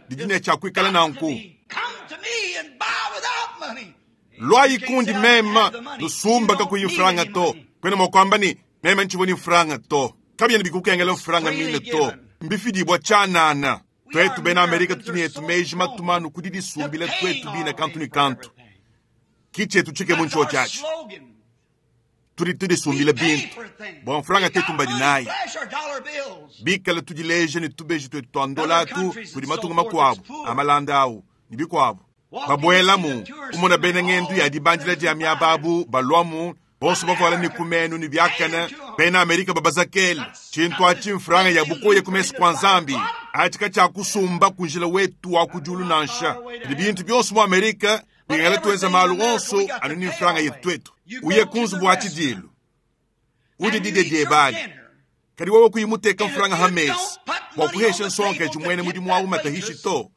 didi ne tshiakuikala nanku. Come to me and buy without money. Luayi kundi meme, nusumba kakuyi mfranga to. Kwena mua kuamba ne, meme ntshivua ne mfranga to. Kabiena bikukengela mfranga mine to. Mbifidibua tshianana. Twetu bena Amerika tutu ne etu meji matumanu ku didisumbila twetu bine kantu ne kantu. Ki tshietu tshikemu That's our ntshiotshi atshi. slogan. Tudi We tudisumbila pay bintu. for things. Bua mfranga We tetu got mbadi money, nayi. flash our dollar bills. Bikala tudileja ne tubeji twetu twa ndola Other atu countries kudi and so matunga forth makuabu that's poor. amalanda awu ne bikuabu. Walking Babuelamu into the tourist kumona bena center, ngendu ya all dibandila dia miaba abu balwamu bonso bavuala ne kumenu ne biakana bena Amerika babazakele tshintu atshi mfranga ya bukoya ku mesu kua Nzambi atshi katshiakusumba ku njila wetu wa ku diulu nansha. Kadi bintu bionso mu Amerika bingala tuenza malu onso anu ne mfranga yetu twetu. Uye ku nzubu wa tshidilu udi And you dide eat your diebali dinner. kadi wewe kuyimuteka And if mfranga you ha mesa don't put bua money on kuhesha the nsonga table to jimwene tip mudimu that wawu matahishi waitress, to.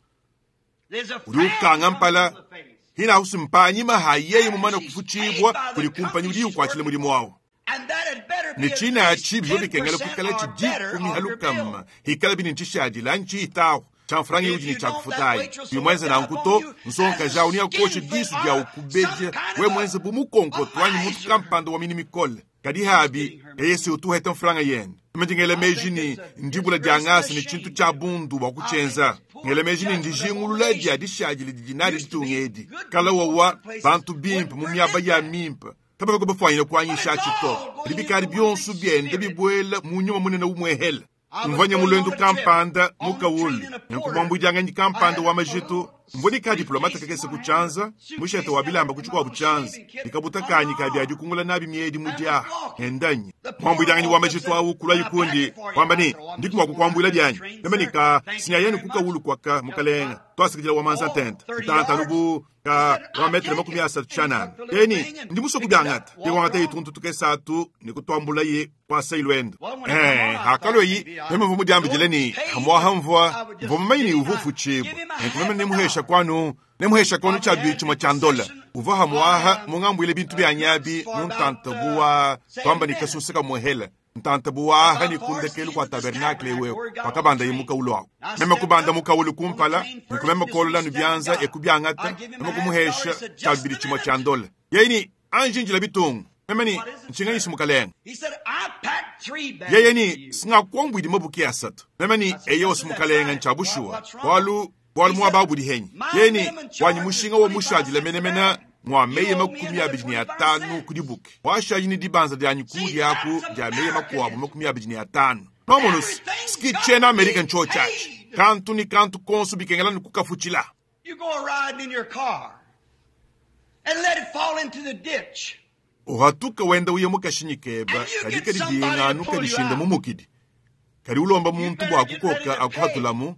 there's a Udi frown ukanga comes mpala on the face. hina husimpanyima ha yeye mumana After she's paid kufuchibwa by the kuli kumpanyi company udi she's ukwachila working mudimu for. wawu. And that had better be Ne at tshina least atshi bivua bikengela 10% kuikala or better tshidikumi of your bill. halukama hikala bini ntshishadila ntshitawu tsha mfranga If udi ne you don't, that tshakufutayi. waitress will look Bimwenza down nanku upon to you as nsonga a jawu ni akosha skinflint disu dia or some ukubeja kind we of a, mwenze bu a mukonkoto anyi muntu miser. kampanda wa mini mikole. Kadi She's habi getting her money. eye se utuheta mfranga yende. Meme ndingela I meji think ni it's a ndibula dia disgrace and a ngasa ni tshintu shame tsha to it. bundu bua I think kutshenza. it's poor Ngela meji ni judgment of all ndijingulula dia nations. dishadile didi nadi Used to ditunga be edi. good Kala people in wawa places bantu bimpe wouldn't mu miaba permit ya that. mimpe. Kabavua bafwanyina But it's kuanyisha atshi to. all going Kadi bikadi into one big bionso biende spirit. bibuela mu nyuma munene umwehela. I was Mvanya going mulwendu on a trip kampanda on the train mukawulu. in a porter. Nenkumwambudianganyi I kampanda had wa a majitu. little Mvua ka diplomata briefcase in kakese one hand, a kutshanza, mushete suitcase wa the other, bilamba and my kuchikuabu little tshanza. shaving kit Dikabuta under kanyi my kadi arm adikungula nabi miedi and was mudia. walking. Endanyi. The porter Mwambudianganyi wa walked up and majitu said, awu kulwa Can I pack ikundi. it for you? Kwamba I ni said, Oh, I'm ndiku just going out mwakukwambula to the byanyi. train, Meme sir. nika Thank you sinyayeni very much. kukawulu kwaka Just mukalenga. about, Twasikijila wa manza oh, tente. 30 Ntanta yards. nubu He ka said, wa I'll metre take makumi it. asatu And he tshanana. took the little Eni thing and ndi muso picked it up, kubyangata. walked Ndikwangata on. ituntu tukesatu nikutwambula ye kwasa ilwendo. Well, when it come on, I thought Hakalo yi maybe I meme mvu mudiambijile know ni it was paid, hamwaha but mvua I would mvua just mumanyi ni give him uvufu a, chibwa. give him a Nenku meme half a nemuhesha dollar. kwanu nemuhesha kwanu Probably tsha had chimwe the tsha ndola. concession Uva of hamwaha mungambwile bintu bya goods nyabi for mu about ntanta buwa 7 twamba ni minutes. kasusa kamuhela. Ntanta buwaha About ni far as the kundekelu end kwa of this tabernakle tabernacle wewe where he got on the wakabanda train. yimukawulu ako. I Meme stepped kubanda up mukawulu on the kumpala train first nikumeme and just kolola reached out and nubyanza got it. I ekubyangata give him a meme half dollar. He kumuhesha said, tsha Just bibili a chimwe minute. tsha ndola. Yeni anjinjila bitungu. Meme ni What is it, nchinganyisi sir? mukalenga. He said, I packed 3 bags Yeye for ni you. singakwambwidi mabuki asatu. Meme ni I said, eyo Yes, sir, that's simukalenga right. ncha What, bushuwa. what's wrong? Bwalu bwalu He mwa said, babu dihenyi. My Yeni minimum wanyi charge is mushinga wa 25 mushadila cents a menemena bag. mwa You meye owe me makumi another abiri ni 25 atanu cents. kudibuki. Washaji ni dibanza lya See, nyikudi aku that's lya meye makuwabu Americanism. makumi abiri ni atanu. Nomono Everything's ski got chena to America be ncho chachi. paid. Kantu ni kantu konso bikengela ni kukafuchila. You go a riding in your car and let it fall into the ditch. Uhatuka wenda uye mukashinyi keba And you kadi get kadi somebody to dinganu pull you kadishinda out. mumukidi. Kadi ulomba You muntu better bwa get ready kukoka to pay. akuhatulamu.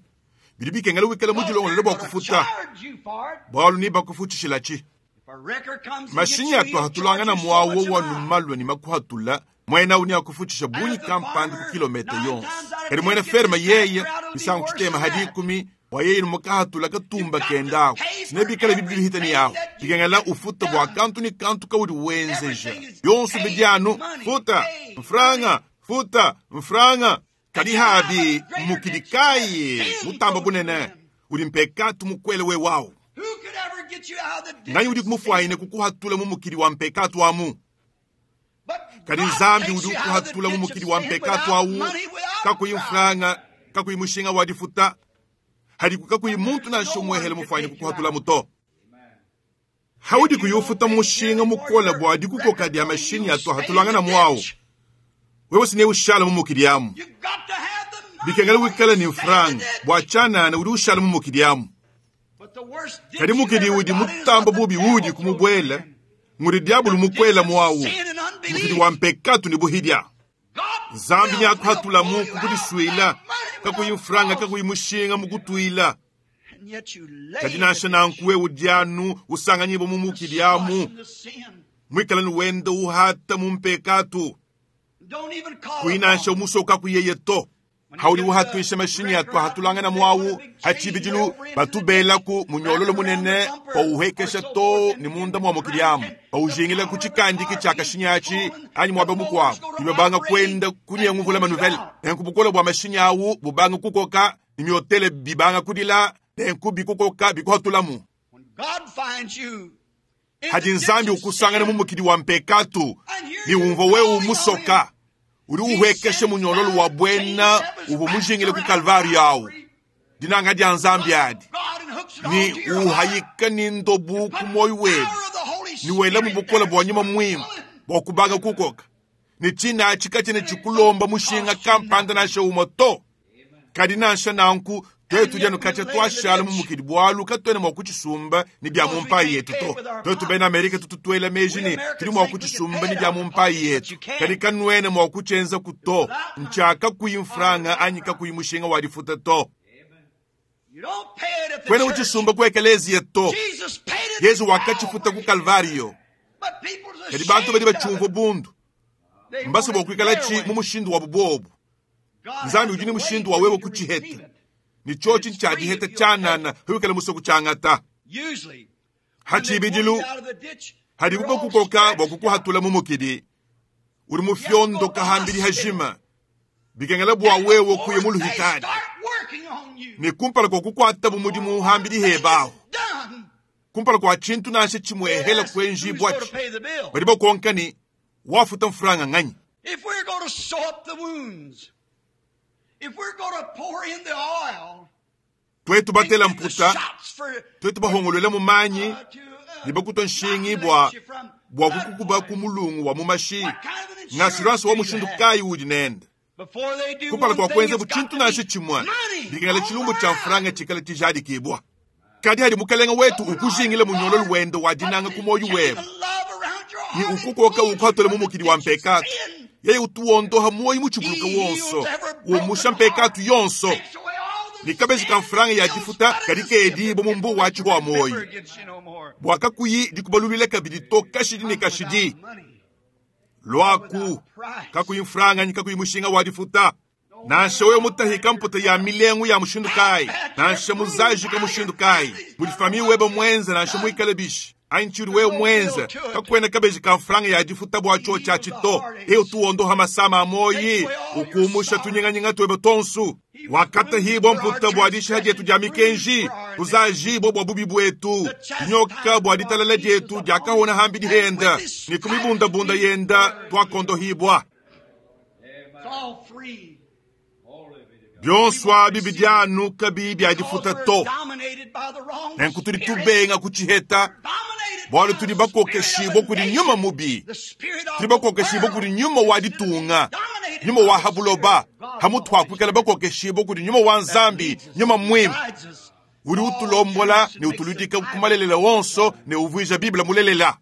Bidi bikengela wikala Because mujilongolele they're bwa going to kufuta. charge you for it. Bwalu ni bakufuchishila chi. If a wrecker comes and gets Mashinyi you, atu he'll charge ahatulangana you so mwawo much a wa mile. numalwa ni makuhatula mwena uni akufuchisha And bunyi if the kampanda ku farmer, kilomita 9 yonse. times out of Kadi 10, mwene gets ferma his yeye tractor out, it'll be misango worse chitema than hadi that. ikumi wa yeye mukahatula katumba You've got to kendako. pay for Sinebikala bibili hitani everything yawo. that you Bikengela get ufuta bwa done. kantu ni kantu kaudi wenzeja. Everything is Yonso paid bidyanu money, futa paid money. mfranga futa mfranga. And Kadi you have a habi greater mukidi ditch that kaye sin mutamba goes bunene in. uli mpekatu mukwele we wawo. Who could ever get you out of the ditch Nganyi of udi sin? kumufwayine kukuhatula mumukidi wa mpekatu amu. But Kadi God Nzambi takes udi you out of the ukuhatula ditch of mumukidi wa sin mpekatu without awu money, without kakuyi price. mfranga kakuyi mushinga wa difuta hadiku kakuyi And muntu there's nansha no one umwehele could mufwayine take you kukuhatula out. muto. Haudi If you don't kuyufuta pay mushinga dearly for mukola your bwa dikukoka record dya money, mashinyi you'll atu stay in the ahatulangana mwawo. ditch. Wewe sine ushala mumukidi amu. You've got to have the money Bikengela or you wikala ni stay in the mfranga ditch. bwa chanana udi ushala mumukidi amu. But the worst Kadi ditch you mukidi ever udi got in is mutamba what the bubi devil udi throws you kumubwela in. nguri diabulu The ditch mukwela of mwawo. sin and Mukidi unbelief. wa mpekatu ni buhidya. God Nzambi will, ni will akuhatula pull mu you out kukudiswila without money, kakuyi without mfranga cost. kakuyi mushinga mukutwila. And yet you lay Kadi in the nansha ditch, nankuwe udyanu usanganyibo the mumukidi slosh amu. and the sin. Mwikala nuwenda uhata mumpekatu. Don't even call Kuyi nansha upon him. umusoka kuyeye to. When he Hauli gets the uhatwisha mashinyi wrecker atu out, ahatulangana they put a mwawu big chain way hachibijilu over into the ditch, batubelaku munyololo wrapped around the munene bumper or pauhekesha so to forth, ni and munda begin mwa to mukidi crank, amu and the paujingila power of the kuchikandiki car cha begins kashinyachi pulling. anyi The mwaba motors mukwabu go to ibabanga operating kwenda and kunyenguvula pulls you manuvela out. nenku bukola bwa mashinyi awu bubanga kukoka nimyotele bibanga kudila nenku bikukoka bikuhatulamu. When God finds you Hadi Nzambi ukusangana mu mukidi wa mpekatu ne umvua wewe umusoka, udi uhuekesha munyololo wa bwena uvua mujingile ku Kalvari awu. Dinanga dia Nzambi adi ni uhayika ni ndobu ku moyo webe ni wela mu bukola bwa nyuma mwimpe bwa kubanga kukoka ni china chikachene chikulomba mushinga kampanda nansha umwe to. Kadi nansha nanku twetu dianu kacha twashala mu mukidi bwalu katwena mwa kuchisumba ni bya mu mpayi yetu to. Twetu bena Amerika tututwela meji ni tuli mwa kuchisumba ni bya mu mpayi yetu. Kadi kanwena mwa kuchenza kuto nchaka kuyi mfranga anyi kakuyi mushinga wa difuta to. Kwena uchisumba ku ekelezia to. Yesu wakachifuta ku Kalvario. Kadi bantu badi bachumva bundu mbasa bwa kuikala chi mu mushindu wa bubobu. Nzambi udi ni mushindu wa wewe kuchiheta. Ni chochi nchadiheta chanana huikala muso kuchangata. Hachibidilu hadi kuko kukoka bwa kukuhatula mu mukidi. Uri mu fyondo kahambiri hajima. Bikengela bwa wewe kuye mu luhitani. Ni kumpala kwa kukwata bu mudimu hambiri hebaho. Kumpala kwa chintu nansha chimwe hela kwenji bwachi. Badi bakonka ni wafuta mfuranga nganyi. If we're going to sew up the wounds, if we're going to pour in the oil, Twetu batela mputa, shots for, twetu bahongolwela mu manyi, to, ni bakuta nshingi bwa bwa kukukuba ku mulungu wa mu mashi. what kind of an insurance Ng'assurance wa do you mushindu have? kayi udi nende. Before they do Kumpala one kwa thing, kwenza it's bu got chintu to be nansha chimwe. money Bikengela all chilumbu cha around. mfuranga chikala tijadikibwa. Kadi hadi mukalenga wetu ukujingile munyololo wende wa dinanga ku moyo webe. Ni ukukoka ukhatole mu mukidi wa mpekatu. Yeye utuondoha moyo muchibuluka wonso. Umusha mpekatu yonso. Ni kabezi ka mfuranga ya difuta kadi kedi bo mumbu wa chihwa moyo. Bwakakuyi dikubalulile kabidi to kashidi ne kashidi. Lwaku kakuyi mfuranga ni kakuyi mushinga wa difuta. Nansha wewe mutahika mputa ya milengu ya mushindu kai. Nansha muzaji ka mushindu kai. Muli webe mwenza nansha muikale bishi. Ainchiri wewe mwenza kakwena kabeji ka mfuranga ya difuta bwa cho cha chito. Eu tuondoha masama amoyi ukumusha tunyinganyinga twebe tonsu. Wakata hibo mputa bwa disha dietu dia mikenji. Tuzaji bo bwa bubi bwetu. Nyoka bwa ditalala dietu diakahona hambi dihenda. Ni kumibunda-bunda yenda twakondo hibwa. It's all free. Byonswa bibi dyanu kabi bya difuta Because to. we're dominated by the wrong Nenku tuli spirit. tubenga kuchiheta. Dominated Bwalo by tuli the bakokeshibwa spirit of kuli the nyuma nation. mubi. The spirit of Tuli the bakokeshibwa world. kuli nyuma wa ditunga. Dominated Nyuma by wa the habuloba. spirit of God. Hamutwakwikala bakokeshibwa kuli nyuma wa nzambi. Nyuma mwimpe. Guides us. Uri utulombola ne utuludika kumalelela wonso ne uvuija Biblia mulelela.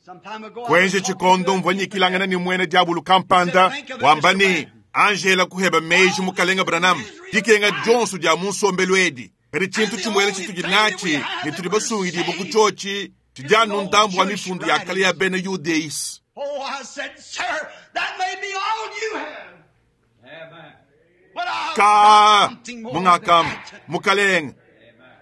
Some time ago, I was Kwenje talking chikondo to a mvwanyikilangana ni mwene diabulu kampanda wamba ni Angela kuheba meji mukalenga Branham dikenga Johnson dia munsombelo edi kadi chintu chimwele chitudi nachi ne tuli basungidibwa ku chochi tidyanu ndambu wa mifundu ya kale ya bena Yudeis. Oh, I said, sir, that may be all you have. But I've Ka got something more than mungakam that. mukalenga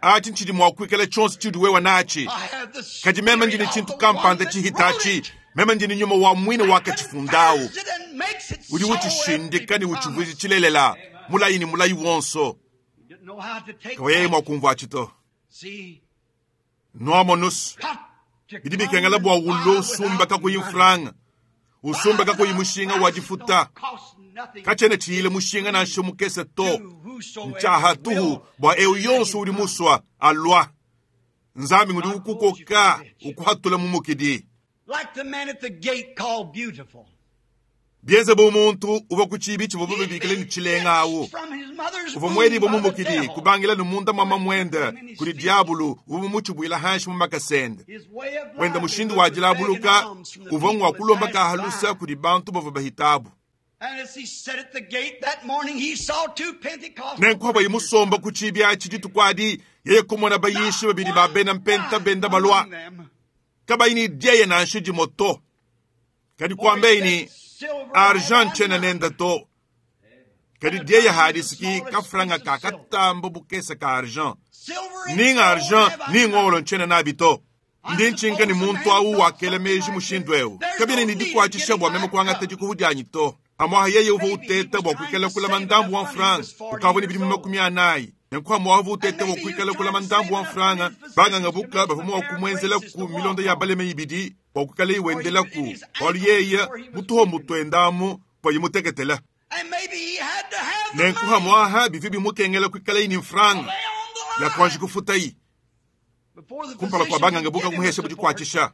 achi nchidi mwakwikala chonse chidi wewa nachi I have the kadi meme spirit ndini of chintu the one kampanda that wrote chihitachi it. meme ndini nyuma wa mwine wakachifundawo Confirms it and makes it udi so uchishindika ni every uchivuizi promise. chilelela mulayi ni mulayi wonso Didn't know how to take kaweye that. mwakumva achito See, nwamo nusu got to bidi come bikengela bwa and buy ulo usumba without kakuyi money. mfuranga usumba kakuyi mushinga wa difuta Don't cost nothing kachene chiyile mushinga nansha mukese to to whosoever nchaha tuhu will. bwa eu yonso udi muswa alwa nzambi ngudi ukukoka ukuhatula mu mukidi Like the man at the gate called Beautiful. bienze bu muntu uva ku chibi chivua bibikile ni chilenga awu From his mother's uva womb mwedi by mu the mukidi devil. kubangila ni munda mwama mwenda kuli diabulu uva muchibwila hanshi mu makasende His way of wenda life mushindu was wa begging dilabuluka alms from the uva people ngwa that kulomba passed kahalusa by. kuli bantu bava bahitabu And as he sat at the gate that morning, he saw two Pentecostal nenkuhava yimusomba ku chibi achi ditukwadi yeye kumona bayishi babili ba bena mpenta benda balwa among them. kabayini dieye nansha dimoto kadi kwambeini Silver argent chena have I none. nenda to kadi dieye hadisiki kafranga ka katamba bukesa ka argent Silver and ninga gold argent have I ninga none. olo nchena nabi to ndi nchinka ni muntu awu wakele meji mushindu ewu kabine ni dikwachisha bwa meme kwangata dikuhudyanyi to amwaha yeye uva uteta bwa kwikela kulama ndambu wa mfranga ukavuni bidi makumi anayi Nenku amu uteta bua kuikala kulama ndambu wa mfranga, banganga buka bavua mua kumuenzelaku milonda ya baleme ibidi bua kuikala iwendelaku, bualu yeye mutuho mutuendamu bua imuteketela. Nenku hamwaha bivua bimukengela kuikala ni mfranga ya kuanji kufutayi kumpala kua banganga buka kumuhesha budikuatshisha.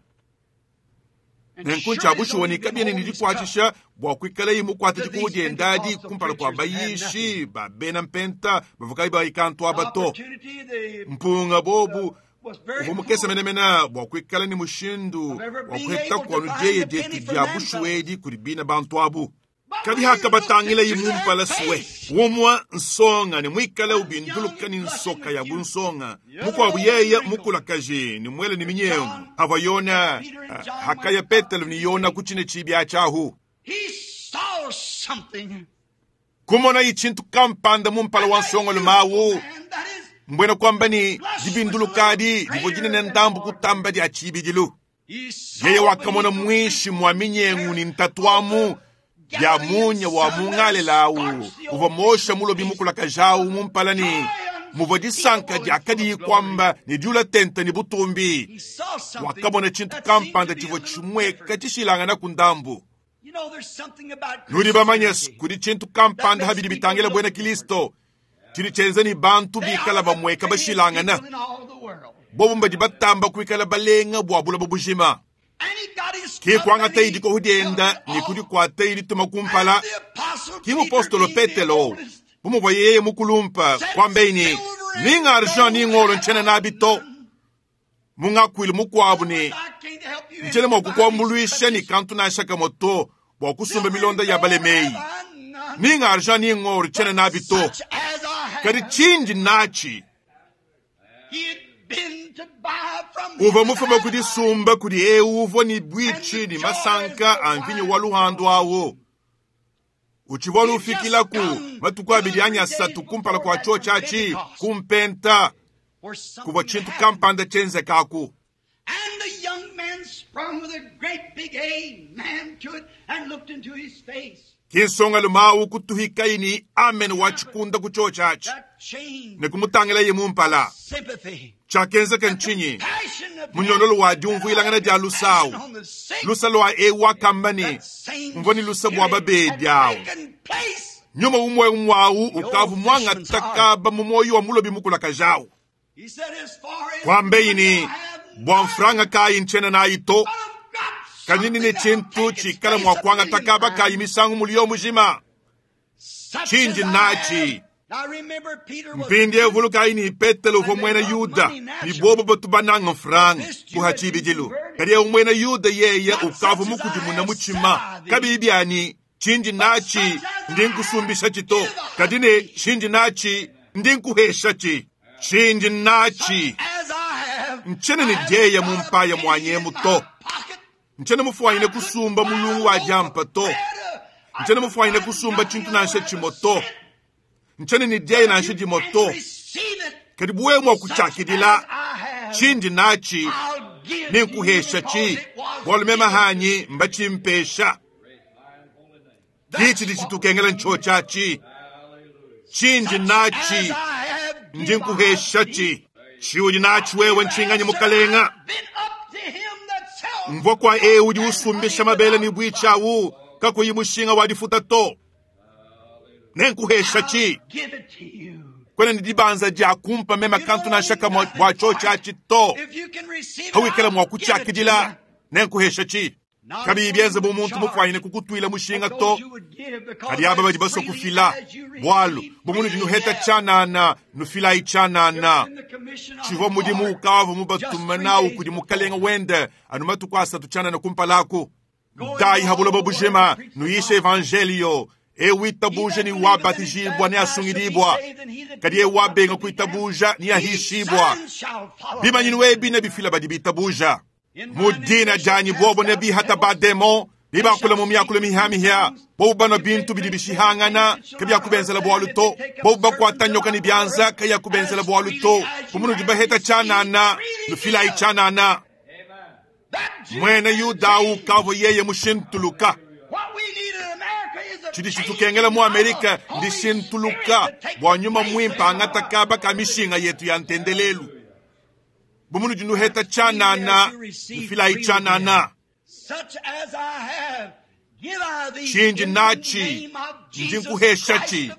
Nenku ntshiabushuwa ni kabiena ne dikuatshisha bua kuikala mukuate dikubu diendadi kumpala kua bayishi ba bena mpenta bavua kayi bayikantu aba to. Mpunga bobu uvua mukese menemene bua kuikala ne mushindu wa kuheta kuanu dieye dietu dia bushuwa edi kudi bina bantu abu. Kadi hakabatangila imumpala suwe umwa nsonga ne muikale ubinduluka ni nsoka ya bunsonga mukuabu yeye mukulakaji ni mwele ni minyengu hava Yona hakaya Petelo ni Yona kuchine chibya chahu kumona ichintu kampanda mumpala wa nsonga lumawu mbwena kwamba ni dibindulukadi divua dinene ndambu kutamba dia chibidilu. Yeye wakamona mwishi mwa minyengu ni ntatwamu ya munya wa mungalelawu uvua mosha mulobi mukulakajawu mumpalani muvua disanka diakadi kwamba ni diula tente ni butumbi. Wakamona chintu kampanda chivua chimweka chishilangana ku ndambu. Nudi bamanye kudi chintu kampanda habidi bitangila bwena Kristo chili chenza ni bantu bikala bamweka bashilangana bobu mbadi batamba kuikala balenga bua bulaba bujima. Ki kuangata idi kohudienda ni kudi kuata idi tuma kumpala. Ki mupostolo Petelo bumuvua yeye mukulumpa kwambeini ninga argent ni ngolo nchena nabito mungakwile mukuabu ni nchele mwa kukuambuluisha ni kantu nashaka moto bua kusumba milonda ya balemei ninga argent ni ngolo nchena nabito kadi chinji nachi uva mufuma kudisumba kudi eu uvua ni bwichi ni masanka a mvinyo wa luhandu awo uchivua lufikilaku matuku abidi anya asatu kumpala kua cho chachi kumpenta kuvua chintu kampanda chenzekaku. Kinsonga lumawu kutuhikayi ni amen wa chikunda ku cho chachi ne kumutangila ye mumpala chakenzeka nchinyi munyololo wa diumvuilangana dia lusawu lusa lwa ewa kambani mvua ni lusa bua babedi awu nyuma umwe umwawu ukavu mwanga takaba mumoyo wa mulobi mukulakajawu kwambeini bua mfranga kayi nchena nayi to kanyini ni chintu chikala mwa kwanga takaba kayi misangu mulio mujima chinji nachi. Mpindi evuluka ini Petelo uvua mwena Yuda ni bobo batu bananga mfranga kuha chibidilu kadi eu mwena Yuda yeye ukavu mukudimuna muchima kabibiani chinji nachi ndi nkusumbisha chito kadi ne chinji nachi ndi nkuhesha chi chinji nachi nchene ni dieya mumpaya mwanyemu to nchene mufuanyine kusumba mulungu wa jampa to nchene mufuanyine kusumba chintu nansha chimo to nchene ni diaye nansha dimo to kadi buwe mwa kuchakidila chindi nachi ni nkuhesha chi bualu mema hanyi mbachimpesha kichi dichitukengela ncho chachi chindi nachi ndi nkuhesha chi chiudi nachi wewe nchinganye mukalenga mvua kwa eu udi usumbisha mabele ni bwichawu kakuyi mushinga wadifuta to nenkuhesha chi kwene ni dibanza dia kumpa mema kantu nashaka bua cho chachi to hawikela mwa kuchakidila nenkuhesha chi kabi bienze bu muntu mufuanyine kukutwila mushinga to kadi aba badi baswa kufila bwalu bumunu dinuheta chanana nufilayi chanana chivua mudimu ukavu mubatuma nawu kudi mukalenga wende anu matuku asatu chanana kumpalaku dai habuloba bujima nuyisha evangelio ewitabuja ni wabatijibwa ni asungilibwa kadi ewabenga kuitabuja ni ahishibwa bimanyinu ebi ne bifila badi bitabuja mudina janyi bobo ne bihata bademo nibakula mu myakula mihamihya bobu bano bintu bidi bishihangana kabyakubenzela bwalu to bobu bakwata nyoka ni byanza kayakubenzela bwalu to kumunu dibaheta chanana nufilayi chanana mwene Yuda ukavo yeye mushintuluka. Tshidi tshitukengela mu Amerika ndishintuluka bua nyuma muimpe angata kaba ka mishinga yetu ya ntendelelu. Bu munudi nuheta tshianana, nufilayi tshianana. Tshindi natshi ndi nkuheshatshi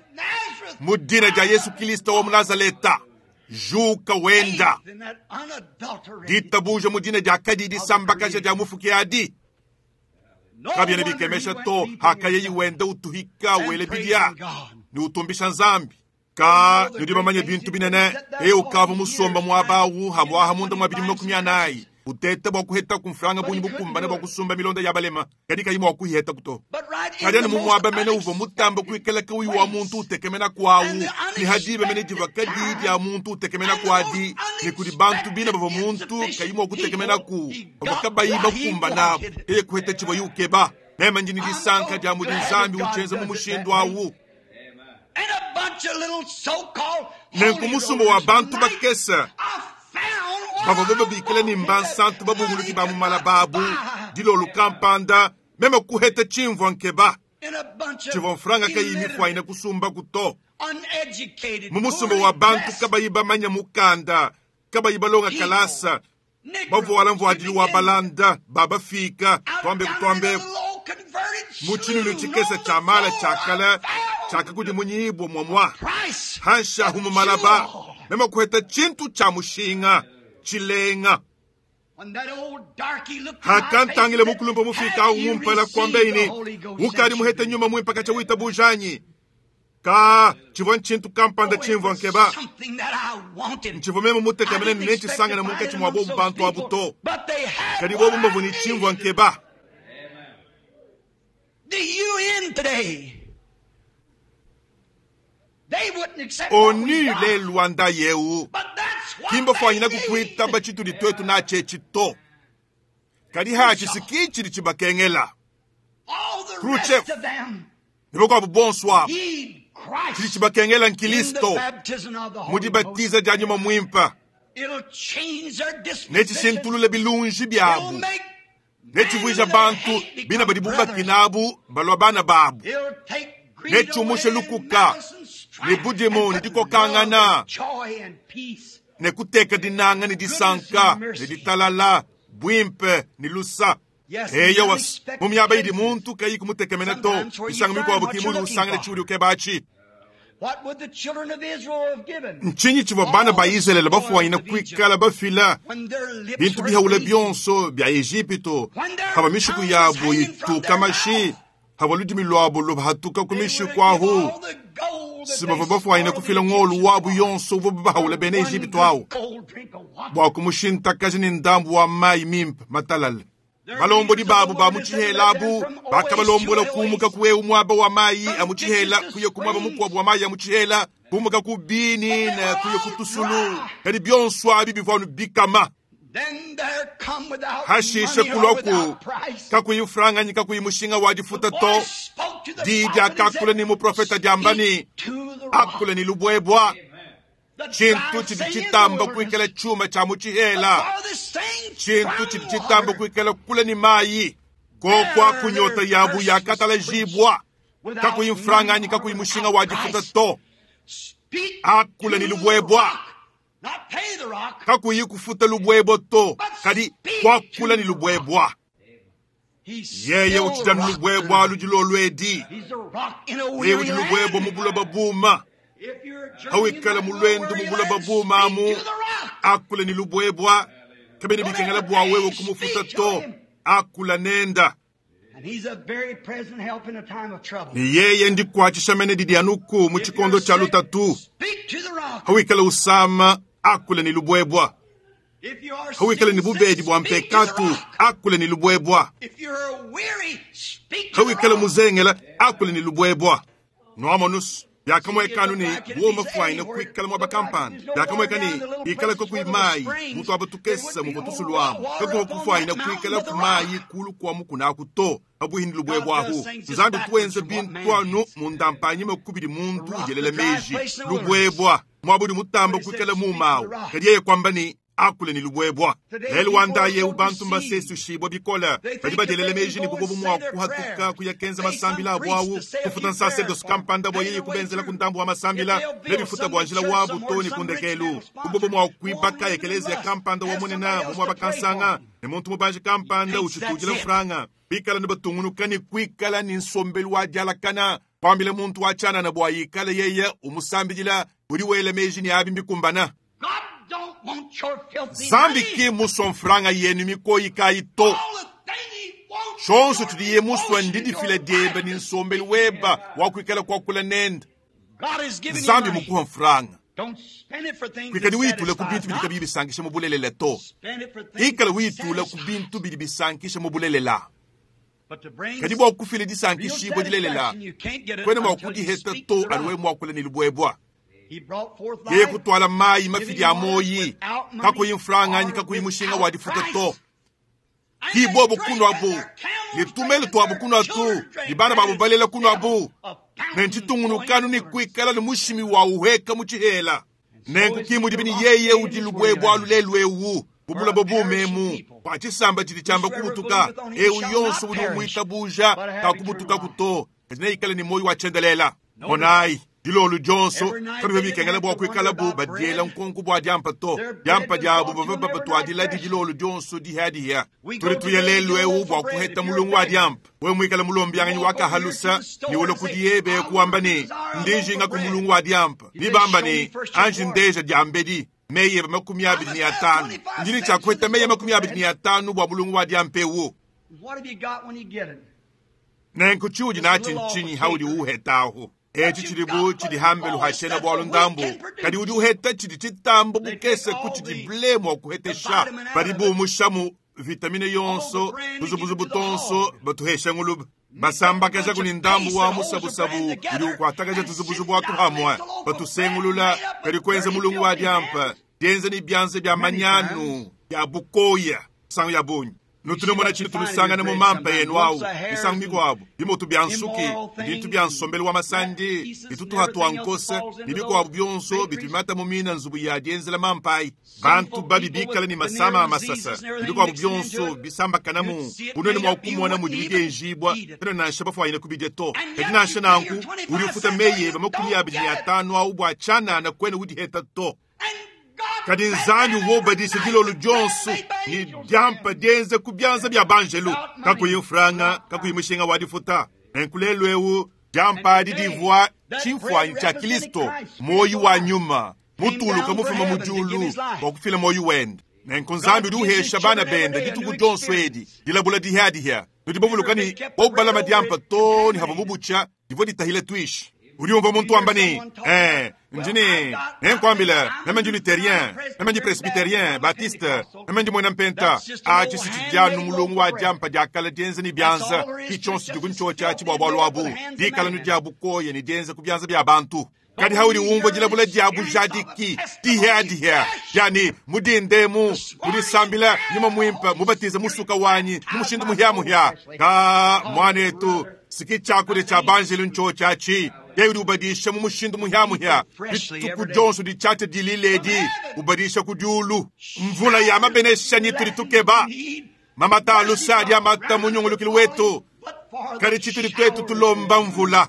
mu dina dia Yesu Kristo wa mu Nazaleta. Juka wenda. Ditabuja mu dina dia kadi disambakaja dia mufuki adi. Kabiena bikemesha to hakayeyi wenda utuhika wele bidia ne utumbisha Nzambi. Ka nudi bamanye bintu binene eye ukava musomba muaba awu habwaha munda mwa bidimu 40 uteta bua kuheta kumfranga bunyi bukumbane bua kusumba milonda ya balema kadi kayi mua kuiheta kuto. Kadi anu mu muaba mene uvua mutamba kuikala kauyi wa muntu utekemena kwawu ne hadiba mene diva kadi dia muntu utekemena kwadi ne kudi bantu bina bavua muntu kayi mua kutekemena ku bavua kabayi bakumbana eye kuheta tshivua yukeba. Meme ndi ne disanka dia mudi Nzambi utshienza mu mushindu awu. Nenku musumba wa bantu bakese bavua babikila ne mbansantu babunguluki ba mu malababu dilolu kampanda meme kuheta tshimvua nkeba tshivua mfranga kayi mifuayina kusumba kuto. Mu musumba wa bantu kabayi bamanya mukanda kabayi balonga kalasa bavuala mvuadilu wa balanda babafika twambe kutwambe mu tshinunu tshikese tshia mala tshiakala tshiakakudimunyibwa mwamwa hanshahu mu malaba meme kuheta tshintu tshia mushinga tshilenga. Hakantangile mukulumpa mufika awu mumpala kwambeini ukadi muhete nyuma muimpe katsha witabujanyi ka tshivua ntshintu kampanda tshimvua nkeba ntshivua meme mutekemene ne netshisangane munkatshi mua bobu bantu abu to kadi bobu mbavua ne tshimvua nkeba. ONU lelu wa yeu kimba fwanyina kukwitaba tshitudi twetu natshetshi to kadi hatshisiki tshidi tshibakengela. Khrushchev ne bakuabu bonso abu tshidi tshibakengela nkilisto mu dibatiza dia nyuma muimpe netshishintulule bilunji biabu netshivuija bantu bina badi bubakinabu balua bana babu netshiumushe lukuka ne budimu ne dikokangana ne kuteka dinanga ne disanka ne ditalala buimpe ne lusa. Eyo mu miaba idi muntu kayi kumutekemena to misanga mikuabu ki mudi usangana tshiudi ukebatshi. Ntshinyi tshivua bana ba Israele bafuanyina kuikala bafila bintu bihaula bionso bia Ejipito hava mishiku yabu ituka mashi hava ludimi lwabo lubahatuka ku mishiku ahu sibavua bafuanyina kufila ngolu wabu yonso uvua bahaula bena Ejipito awu bua kumushintakaja ne ndambu wa mayi mimpe matalale. Balombodi babu ba mu tshihela abu bakabalombola kumuka ku ewu muaba wa mayi a mu tshihela kuya ku muaba mukuabu wa mayi a mu tshihela kumuka ku bini ne kuya ku tusulu kadi bionso abi bivua anu bikama. Hashishe kulwaku kakuyi franganyi kakuyi mushinga wa difuta to diyi diakakula ni muprofeta diamba ni akula ni lubwebwa. Tshintu tshidi tshitamba kuikala chuma cha mu tshihela tshintu tshidi tshitamba kuikala kula ni mayi kokwa kunyota yabu yakatalajibwa kakuyi mfranganyi kakuyi mushinga wa difuta to akula ni lubwebwa kakuyi kufuta lubwebwa to kadi kwakula ni lubwebwa. Yeye utshidanu lubwebwa ludilolwedi yeye udi lubwebwa mu buloba buma hawikala mulwendo mu buloba bumamu akula ni lubwebwa kabene bikengela bua wewe kumufuta to akula nenda. Ni yeye ndikwatshisha mene didi anuku mu tshikondo tshia lutatu hawikala usama akula ni lubwebwa hawikala ni bubedi bua mpekatu akula ni lubwebwa hawikala muzengela akula ni lubwebwa. Noamonus byakamwekanu ni buoma fwaina kuikala mwaba kampanda byakamweka ni ikala kakuyi mayi mutu abatukesa muvua tusulu amu kakuwa kufwaina kuikala ku mayi kulu kwa mukunaku to abuhindi lubwebwahu. Nzambi tuenze bintu anu mundampanyima kubidi muntu ujelela meji lubwebwa mwabudi mutamba kuikala mumawu kadi yeye kwamba ni akule ne lubuebua. Lelu wa ndaye eu bantu mbasesushibua bikole, badi badielela meji ne bubobu mua kuhatuka kuya kenza masambila abu au kufuta nsacerdoce kampanda bua yeye kubenzela ku ndambu wa masambila ne bifuta bua njila wabu to ne kundekelu. Bubobu mua kuibaka ekelezia kampanda wa munene mu muaba kansanga ne muntu mubanji kampanda utshitudila mfranga. Bikala ne batungunuka ne kuikala ne nsombelu wa dialakana, kwambila muntu wa tshianana bua yikale yeye umusambidila udi wela meji ne abi mbikumbana. Nzambi ki musua mfranga yenu mikoyi kayi to. Tshionso tshidiye musua ndidifila diebe ne nsombelu weba wa kuikala kuakula nende. Nzambi mukuha mfranga. Kuikadi witula ku bintu bidi kabiyi bisankisha mu bulelela to. Ikala witula ku bintu bidi bisankisha mu bulelela. Kadi bua kufila disankishibua dilelela, kuena mua kudiheta to anu wewe mua kula ne lubuebua. Yeye kutwala mayi mafidi a moyi, kakuyi mfranga anyi kakuyi mushinga wa difuta to. Ki bobu kunwabu, ne tumelo twabu kunwatu, ne bana babu balela kunwabu. Ne ntshitungunukanu ne kuikala ne mushimi wa uheka mu tshihela. Nenku ki mudi bini yeye udi lubuebua lulelu ewu. Bubula bobu memu kwa tshisamba tshidi tshiamba kubutuka, ewu yonso udi umuitabuja kakubutuka kuto, kadi neikale ne moyo wa tshiendelela. Monayi, dilolo dionso kabiva bikengela bua kuikala bu badiela nkonko bua diampa to. Diampa diabu bavua babatuadila di dilolo dionso dihiadihia. Tudi tuya lelu ewu bua kuheta mulungu wa diampa. Wewe muikale mulombianganyi wa kahalusa ne ulo kudi yebe kuamba ne ndijinga ku mulungu wa diampa. Nibamba ne anji ndeja diambedi meye 25. Ndini tshia kuheta meye 25 bua mulungu wa diampa ewu. Nenku tshiudi natshi ntshinyi haudi uhetahu? Etshi tshidi bu tshidi hambelu hashena bua lundambu, kadi udi uheta tshidi tshitambo bukese ku tshidi ble mua kuhetesha. Badi bumushamu vitamine yonso, buzubuzubu tonso batuhesha nguluba. Basambakaja kuni ndambu wa musabusabu udi ukuatakaja tuzubuzubu atuhamwe. Batusengulula kadi kuenza mulungu wa diampa, dienza ni bianza bia manyanu ya bukoya sangu ya bunyi. Nutunomona tshini tulusangana mu mampa yenu awu, misangu mikuabu, bimoto bia nsuki, bintu bia nsombelu wa masandi, bitutuha tua nkose, ne bikuabu bionso bitubimata mu mina nzubu ya dienzela mampa ayi. Bantu babi bikala ne masama a masasa, ne bikuabu bionso bisambakanamu, bunene mua kumona mudi bigenjibua, tena nansha bafuanyine kubidia to. Kadi nansha nanku, udi ufuta meyi eba 25 awu bua tshianana kuena udiheta to. Kadi Nzambi wobadisha dilolo dionso ni diampa dienze ku bianza bia banjelu, kakuyi mfranga, kakuyi mushinga wa difuta. Nenku lelu eu diampa adi divua tshimfuanyi tshia Kristo, moyi wa nyuma mutuluka mufuma mu diulu bua kufila moyi wende. Nenku Nzambi udi uhesha bana bende dituku dionso edi dilabula dihiadihia. Nudi bavuluka ni bobalama diampa to ni hava mubutsha divua ditahile tuishi. Udi umva muntu wamba ni, ndini, nenkwambila, meme ndi luthérien, meme ndi presbytérien, baptiste, meme ndi mwena mpenta. Atshi si tshidianu mulungu wa diampa diakala dienza ni bianza, ki tshionso diku ntshotshia tshi bua bualu abu, dikala nu dia bukoya ni dienza ku bianza bia bantu. Kadi haudi umva dilabula dia bujadiki, dihiadihia, yani mudindemu, mudisambila nyuma muimpe, mubatize musuka wanyi, mu mushindu muhiamuhia. Ka mwanetu, siki tshiakudia tshia banjelu ntshotshia tshi. Yeye udi ubadisha mu mushindu muhiamuhia. Dituku dionso ditshiatshia dililedi, ubadisha ku diulu. Mvula ya mabenesha ni tudi tukeba. Mamata alusa adi amata mu nyungulukilu wetu. Kadi tshitudi twetu tulomba mvula.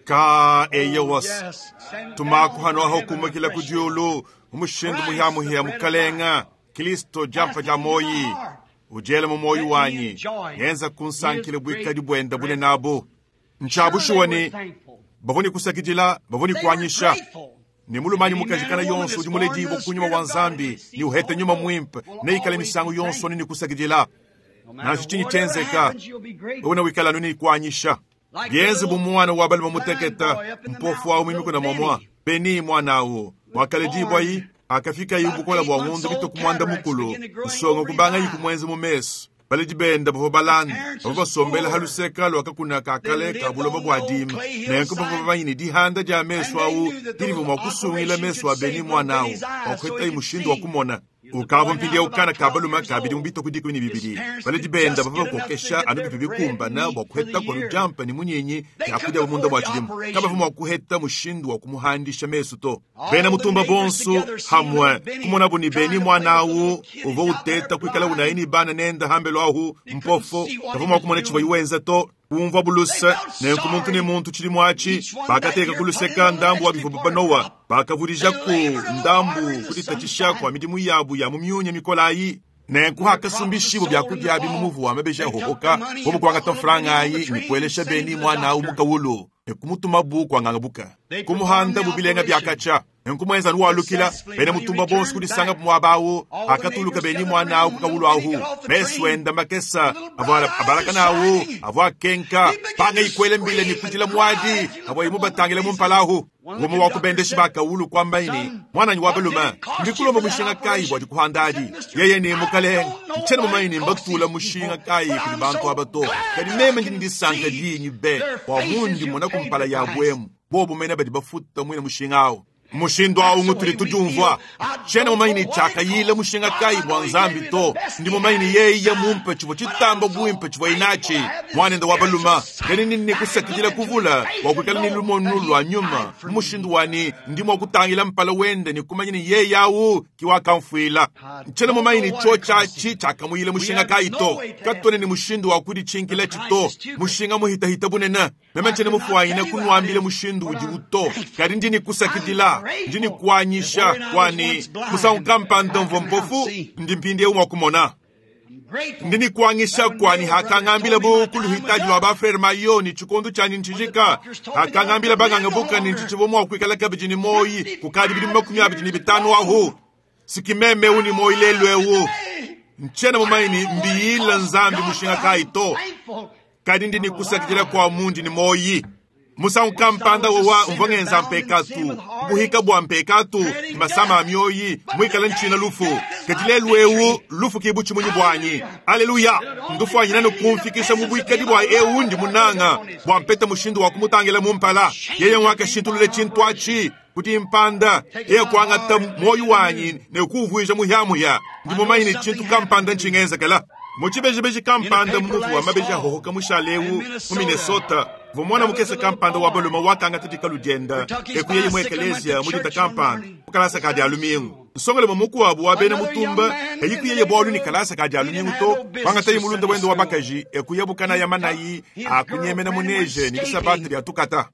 Ka eyewas. Tumaku hano aho kumakila ku diulu, mu mushindu muhiamuhia mukalenga. Kristo diampa dia moyi. Udiele mu moyi wanyi. Ngenza kunsankile buikadi buenda bunene abu. Ntshiabushuwa ni bavua ni kusakidila, bavua ni kuanyisha. Ne mulumanyi mukajikana yonso udi muledibua ku nyuma wa Nzambi, ni uhete nyuma muimpe, neikale misangu yonso ni kusakidila. Nansha tshinyi tshienzeka, wewe wikala ni kuanyisha. Bienze bu mwana wa bali bamuteketa, mpofu awu mimiko na mwamwa. Beni mwana awu, wakaledibua yi, akafika yi bukola bua ngundu bituku mwanda mukulu, nsonga kubanga yi kumwenza mu meso. Baledi benda bavua balanda, bavua basombela haluseka lwakakuna kakale ka buloba bua dima. Nenku bavua bamanye dihanda dia meso awu, dilivu mua kusungila meso a Beni mwana awu, bua kuheta yi mushindu wa kumona. Ukavua mpindieu kana ka balume ka bidimu bitue ku 12. Baledi bende bavua bakokesha anu bivua bikumbana bua kuhetaku anu diampa ne munyinyi bia kudia munda mua tshidimu. Kabavua mua kuheta mushindu wa kumuhandisha mesu to. Bena mutumba bonso hamue kumonabu ne, Beni muana au uvua uteta kuikala unayi ne bana nende hambelu ahu mpofo, kavua mua kumona tshivuaye wenza to. Kumvua buluse, nenku muntu ne muntu tshidimu atshi, bakateka ku luseka ndambu wa bivua banowa, bakavudijaku ndambu kuditatshisha kua midimu yabu ya mu miunya mikole ayi. Nenku hakasumbishibua biakudia abi mu muvu wa mabeji ahohoka, bobu kuangata mfranga ayi ne kuelesha Beni muana au mu kawulu ne kumutumabu kua ngangabuka, kumuhandabu bilenga bia katshia. Nenku muenza anu walukila, bena mutumba bonso kudisanga muaba awu, akatuluka Beni muana awu ku kawulu ahu, mesu enda makesa avua abalakana awu avua akenka, panga ikuela mbila ne kudila muadi avua imubatangila mu mpala ahu. Umue wa ku bendeshi ba kawulu kuambaye ne, Muananyi wa balume, ndi kulomba mushinga kayi bua dikuhanda adi? Yeye ne, Mukalenge, ntshiena mumanye ne mbatula mushinga kayi kudi bantu aba to, kadi meme ndi ne disanka dinyi be bua mundi mmona ku mpala yabu emu, bobu mene badi bafuta muine mushinga awu. Mushindu au ngutudi tudiumvua. Tshiena mumanye ne tshiakayila mushinga kayi bua Nzambi to. Ndi mumanye ne yeye mumpe tshivua tshitamba buimpe tshivuaye natshi, muanende wa balume. Kadi ndi ne kusakidila kuvula bua kuikala ne lumonu lua nyuma mu mushindu wa ne ndi mua kutangila mpala wende ne kumanya ne yeye au ki wakamfuila. Ntshiena mumanye ne tshiotshi atshi tshiakamuyila mushinga kayi to. Katuena ne mushindu wa kuditshinkilatshi to. Mushinga muhitahita bunene. Meme ntshiena mufuanyine kunuambila mushindu udiwu to, kadi ndi ne kusakidila, ndi ne kuanyisha kua ne musangu kampanda mvua mpofu, ndi mpindieu mua kumona. Ndi ne kuanyisha kua ne hakangambilabu ku luhitadi lua ba Frere Mayo ne tshikondo tshianyi ntshijika, hakangambila banganga buka ne ntshitshivua mua kuikala kabidi ne muoyi kukadi bidimu 25 ahu. Siki meme eu ne muoyi lelu eu, ntshiena mumanye ne mbiyila Nzambi mushinga kayi to, kadi ndi ne kusakidila kua mundi ne muoyi. Musangu kampanda wowa mvua ngenza mpekatu, buhika bua mpekatu ne masama a mioyi, muikale ntshina lufu. Kadi lelu eu lufu ki butshimunyi buanyi. Aleluya! Ndufuanyina ne kumfikisha mu buikadi bua eu ndi munanga, bua mpeta mushindu wa kumutangila mu mpala. Yeye nguakashintulula tshintu atshi kudi mpanda, yeye kuangata muoyo wanyi ne kuuvuija muhiamuhia. Ndi mumanye ne tshintu kampanda ntshingenzekela. Mu tshibejibeji kampanda mu muvu wa mabeji ahohoka mushale eu mu Minnesota, mvua muana mukese kampanda wa balume wakangata dikalu dienda e kuyeye mu ekeleziya mu dinda kampanda mu kalasa ka dia lumingu. Nsongalume mukuabu wa bena mutumba kayi kuyeye bualu ne kalasa ka dia lumingu to, kuangataye mulunda wende wa bakaji e kuyabu kanaya manayi a kunyemena mu neje ne bisabata bia tukata.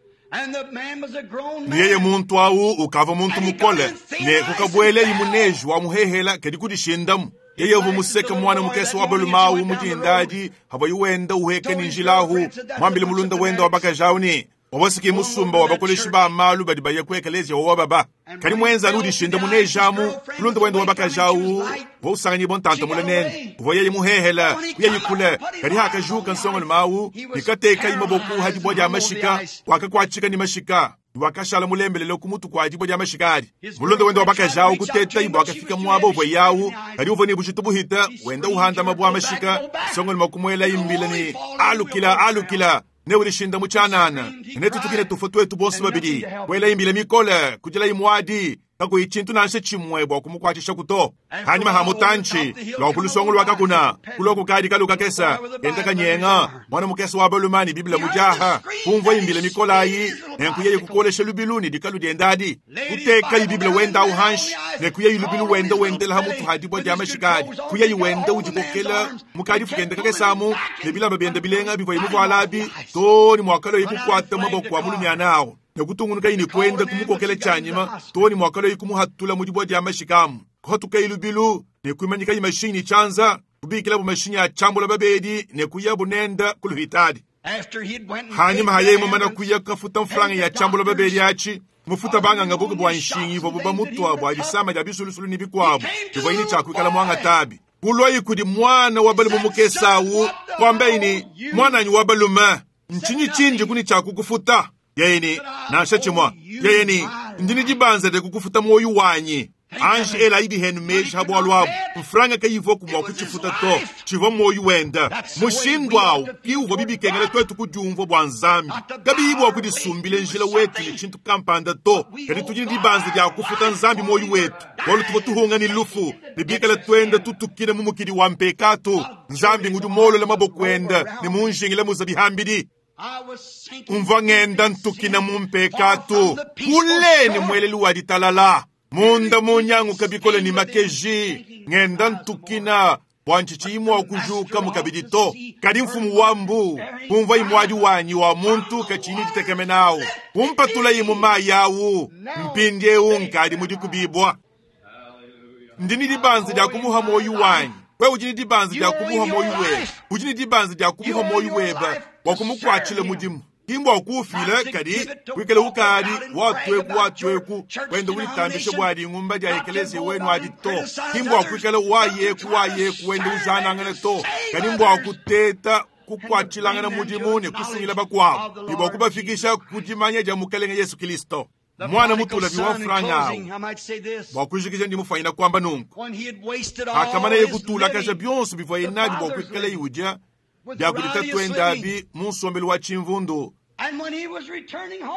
Ne yeye muntu au ukavua muntu mukole ne kukabuelayi mu neje wa muhehela kadi kudishindamu. Yeye uvua museke muana mukese wa balume au mu dinda adi avuaye wenda uheka ne njila ahu, muambile mulunda wende wa bakaji au ne, wawasiki musumba wa bakoleshi ba malu badi baya ku ekeleziya wa baba. Kadi muenza anu udishinda mu neje amu, mulunda wende wa bakaji au uvua usanganyibua ntanta mule nende, uvua yeye muhehela kuyayi kule. Kadi hakajuka nsongalume au ne katekayi maboko ha dibua dia mashika, wakakuatshika ne mashika, wakashala mulembelele ku mutu kua dibua dia mashika adi. Mulunda wende wa bakaji au kutetayi bua akafika muaba uvua yawu, kadi uvua ne bujitu buhita, wenda uhanda mabua mashika. Nsongalume kumuela imbila ne, alukila, alukila, ne udishinda mu tshianana, ne tutukile tufua tuetu bonso babidi. Kuela imbila mikole, kudilayi muadi, kakuyi tshintu nansha tshimue bua kumukuatshishaku to. Hanyima ha mutantshi lua ku lusongo lua kakuna, kulua kukadi kalu kakesa kenda kanyenga, muana mukese wa balume ne Biblia mudiaha, kumvua imbila mikole ayi, nenku yeye kukolesha lubilu ne dikalu dienda adi, kutekayi Biblia wenda au hanshi, ne kuyeyi lubilu wenda wendela ha mutu ha dibua dia mashika adi, kuyeyi wenda udikokela mukadifu kenda kakesamu ne bilamba bienda bilenga bivuaye muvuala abi, to ne muakaloyi kukuata maboko a mulumiana awu, ne kutungunukayi ne kuenda kumukokela tshianyima, to ne muakaloyi kumuhatula mu dibua dia mashika amu. Kuhatukayi lubilu ne kuimanyikayi mashinyi ne tshianza, kubikilabu mashinyi a tshiambula babedi ne kuyabu nenda ku luhitadi. Hanyima ha yeye mumana kuya kafuta mfranga ya tshiambula babedi atshi, mufuta banganga buku bua nshingi ivuabu bamutua bua disama dia bisulusulu ne bikuabu bivua ne tshia kuikala muangatabi. Kulwayi kudi muana wa balume mukese au, kuambaye ne, muananyi wa balume, ntshinyi tshindi kuni tshia kukufuta? Yeye ne, nansha tshimue. Yeye ne, ndi ne dibanza dia kukufuta muoyo wanyi. Anji elayi bihenu meji ha bualu abu. Mfranga kayivuaku mua kutshifuta to, tshivua muoyo wenda. Mushindu au ki uvua bibikengela tuetu kudiumvua bua Nzambi, kabiyi bua kudisumbila njila wetu ne tshintu kampanda to, kadi tudi ne dibanza dia kufuta Nzambi muoyo wetu. Bualu tuvua tuhunga ne lufu, ne bikale tuenda tutukina mu mukidi wa mpekatu. Nzambi ngudi molola maboko enda ne munjingile muzabihambidi. Mvua ngenda ntukina mu mpekatu kule ne muelelu wa ditalala. Munda munyanguka bikole ne makeji, ngenda ntukina bua ntshitshiyi mua kujuka mukabidi to. Kadi mfumu wa mbu kumvua imuadi wanyi wa muntu katshiyi ne ditekemena kumpatulayi mu mayi awu. Mpindiewu nkadi mudikubibwa. Ndi ne dibanza dia kumuha muoyo wanyi. Wewe udi ne dibanza dia kumuha muoyo webe. Udi ne dibanza dia kumuha muoyo webe bua kumukuatshila mudimu. Kimbo kufila kadi wikale ukadi watweku watweku wenda ulitambisha bwadi ngumba dia ekelezia wenu adi to. Kimbo kwikale wayeku wayeku wenda ujanangana to. Kadi mbwa kuteta kukwatshilangana mudimu ne kusungila bakwabo. Ibwa kubafikisha kudimanya dia mukalenge Yesu Kristo. Mwana mutulavi wa franga awu. Bwa kujikija ndi mufanyina kwamba nunku. Akamana ye kutulakaja byonso bivua inadi bwa kwikala iudya byakulita twenda abi mu nsombelu wa tshimvundu.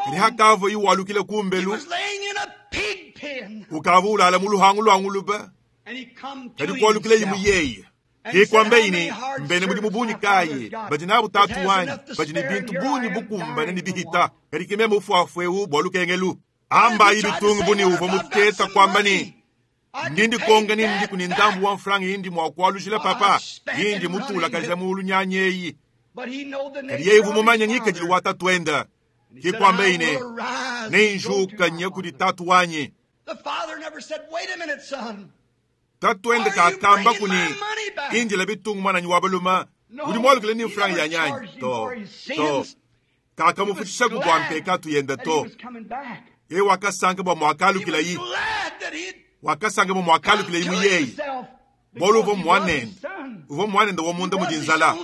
Kadi hakava iwalukile kumbelu, ukava ulala mu luhangu lwa nguluba. Kadi kualukile imu yeye. Kikwamba ini mbene mudimu bunyi kayi badi nabu tatu wanyi badi ne bintu bunyi bukumbane ne bihita. Kadi kimeme ufuafu bwa lukengelu. Amba ayi bitungu buni uvua muteta kwamba ni ndindi konga ni ndi kuni ndambu wa mfranga indi mwa kualujila papa indi mutula kaja mulu nyanyeyi. Kadi yeye vumumanya ngikadilu wa tatu enda. Kikwamba ine nenjuka nye kudi tatu wanyi. Tatu enda kakamba kuni indila bitungu mwananyi wa baluma udi mwalukile ni mfranga ya nyanyi to to kakamufutshisha kubwa mpekatu yenda to. Ye wakasanka bwa mwakalukila yi. Wakasanga bwa mwakalukila yi muyeyi. Bolu uvo mwanenda. Uvo mwanenda wa munda mudinzala.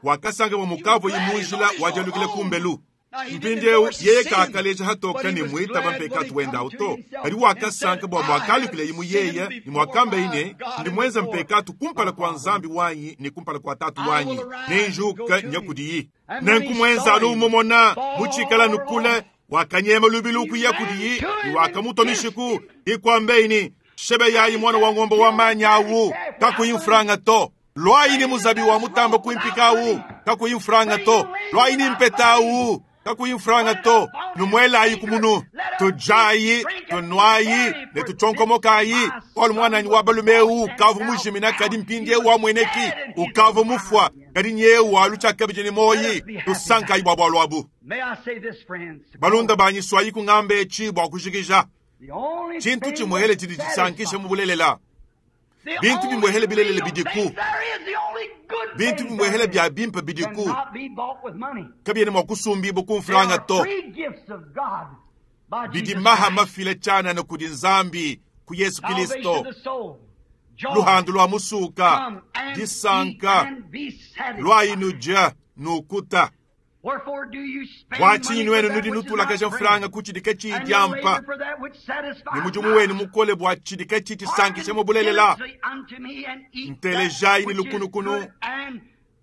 Wakasanga bwa mukavu yi munjila wajalukile kumbelu. Mpindiewu yeye kakaleja hatoka ne mwitaba mpekatu wenda auto. Kadi wakasanka bwa mwakalukila yi muyeye ni mwakamba ine ndi mwenza mpekatu kumpala kwa nzambi wanyi ni kumpala kwa tatu wanyi. Nenjuka nyakudiyi. Nenkumwenza alumomona muchikala nukule wakanyema lubilu kuya kudiyi ni wakamutomishiku ikwambeini shebe yayi mwana wa ng'ombe wa manyawu kakuyimfuranga to. Lwayi muzabi wa mutamba kuimpikawu kakuyimfuranga to. Lwayi mpetawu kakuyimfuranga to. Numwelayi kumunu tujayi tunwayi ne tuchonkomokayi olu mwananyi wa balumeu ukavu mujimina kadi mpindie wa mweneki ukavu mufwa kadi nyewu aluchakabije ni moyi tusankayi bwa bwalwabu. Balunda banyi swayi kung'amba echi bwa kushikisha. Chintu chimwehele chidi chisankisha mubulelela. Bintu bimwehele bilelele bidiku. Bintu bimwehele bya bimpa bidiku. Kabyene mwa kusumbibo kumfuranga to. Bidi maha mafile chana na kudi nzambi ku Yesu Kristo. Luhandu lwa musuka, disanka, lwa inuja nukuta. Bwachinyi nwenu nudi nutulakaja mfuranga kuchidika chiidyampa. Ni mudimu wenu mukole bwa chidika chichisankisha mubulelela. Ntelejayi ni lukunukunu,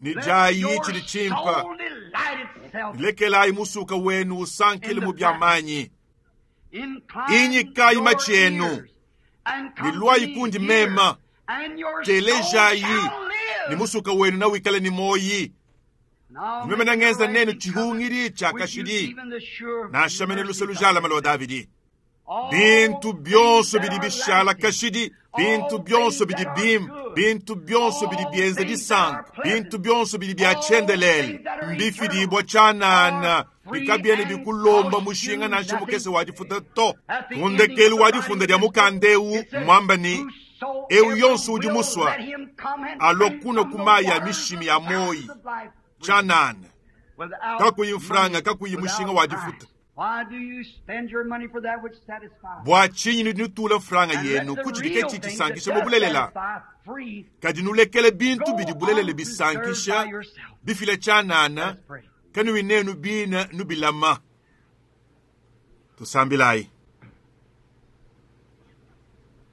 ni jayi chidi chimpa. Lekelayi musuka wenu usankile mu byamanyi. Inyikayi machienu, ni lwayi kundi mema. Telejayi ni musuka wenu na wikale ni moyi. Meme nangenza nenu chihungiri cha kashidi. Nashamene luselu jala malo Davidi. Bintu byonso bidi bishala kashidi. Bintu byonso bidi bim. Bintu byonso bidi bienza disanka. Bintu byonso bidi byachendelele. Mbifidi bwa chanana. Bikabyene bikulomba mushinga nansha mukese wadifuta to. Kundekelu wadifunda dia mukandeu mwamba ni eu yonso udi muswa. Alokuna kumaya mishimi ya moyi. Chanana. Kakuyimfuranga kakuyimushinga wadifuta. Bwa chinyi nutula mfuranga yenu kuchidike chichisankisha mubulelela. Kadi nulekele bintu bidi bulelele bisankisha bifile chanana kanuwi nenu bina nubilama. Tusambilayi.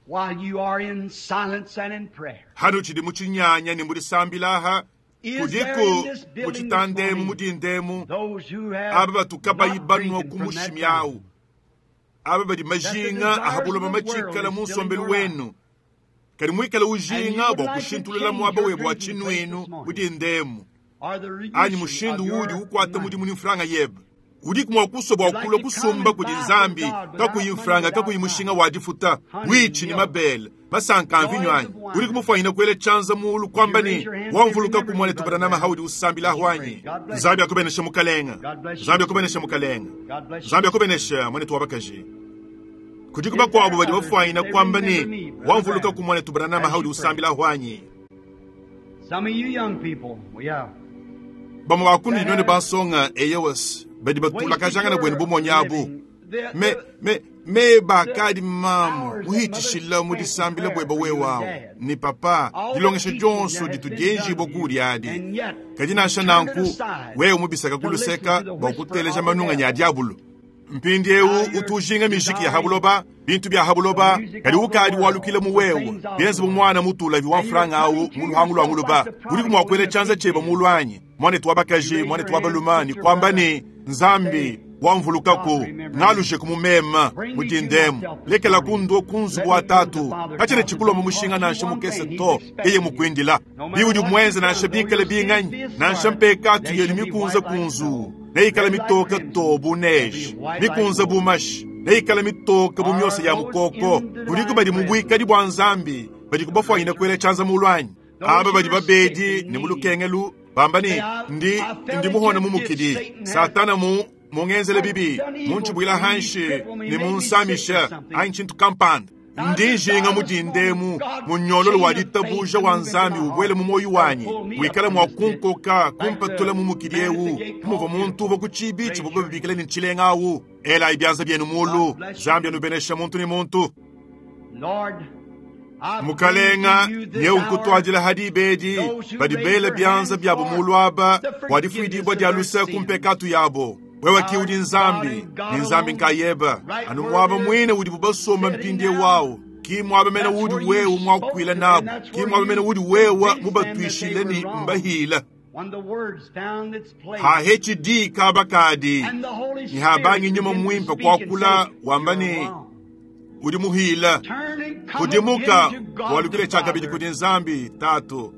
While you are in silence and in prayer. Hano chidi muchinyanya ni mulisambilaha. Kudiku muchitandemu mudindemu aba batuka bayibanwa kumushimyawu. Aba badi majinga a buloba matshikala mu nsombelu wenu, kadi muikale ujinga bua kushintulula muaba webe wa tshinuinu mudinda emu, anyi mushindu uudi ukuata mudimu ne mfranga yebe. Udiku mua kusua bua kulua kusumba kudi Nzambi kakuyi mfranga, kakuyi mushinga wa difuta, buitshi ne mabele, masanka a mvinyo anyi? Udiku mufuanyine kuela tshianza muulu kuamba ne, Wamvulukaku muanetu Branham haudi usambila ahu anyi? Nzambi akubeneshe mukalenga. Nzambi akubeneshe mukalenga. Nzambi akubeneshe muanetu wa bakaji. Kudiku bakuabu badi bafuanyine kuamba ne, Wamvulukaku muanetu Branham haudi usambila ahu anyi? Some of you young people, yeah. Bamue ba kunudi nuenu bansonga, eyowas, badi batulakajangana buenu bumonyi abu. Me, me, meba akadi mamu muhitshishila mu disambila bueba wewe awu ne papa, dilongesha dionso ditu dienjibua kuudi adi. Kadi nansha nanku, wewe mubisaka ku luseka bua kuteleja manunganyi a diabulu. Mpindieu utu ujinga mijiki ya ha buloba, bintu bia ha buloba, kadi ukadi walukila mu wewe, bienze bu muana mutulavi wa mfranga awu mu luhangu lua nguluba. Udiku mua kuela tshianza tshiebe mulu anyi, muanetu wa bakaji, muanetu wa balume, ne kuamba ne, Nzambi, wamvulukaku, ngalujeku mu mema, mu dindemu, lekelaku ndua ku nzubu wa tatu, katshiena tshikulomba mushinga nansha mukese to, yeye mukuindila. Biudi muenze nansha bikale binganyi, nansha mpekatu yenu mikunze kunzuu, neikale mitoke to bu neige, mikunze bu mashi, neikale mitoke bu miosa ya mukoko. Kudiku badi mu buikadi bua Nzambi badi kubafuanyine kuela tshianza mulu anyi? Aba badi babedi ne mu lukengelu bamba ne, Ndi, ndi muhone mu mukidi, Satana mu mungenzele bibi, muntshibuila hanshi ne munsamisha anyi tshintu kampanda. Ndi njinga mudinda emu munyololo wa ditabuja wa Nzambi ubuele mu muoyo wanyi, wikale mua kunkoka kumpatula mu mukidi eu, muvua muntu uvua ku tshibi tshivua babikila ne tshilenga awu. Elayi bianza bienu mulu, Nzambi anubenesha muntu ne muntu. Lord, I Mukalenga, bring to you this nyeu nkutuadila hour hadi bedi badi bela bianza biabo mulu aba bua difuidibua dia luse ku mpekatu yabo. Wewe ki udi Nzambi, ne Nzambi nkayeba, anu muaba muine udibu basomba mpindieu wawu. Ki muaba mene udi wewe muakuila nabu, ki muaba mene udi wewe mubatuishile ne mbahila. when the words found its place Hahetshi di kaba kadi, and the Holy ni Spirit habangi nyuma began to muimpe speak and kuakula say, wamba "You're ne, wrong." udi muhila. Turn and come Kudimuka again to God walukile the tshiakabidi Father. kudi Nzambi Tatu.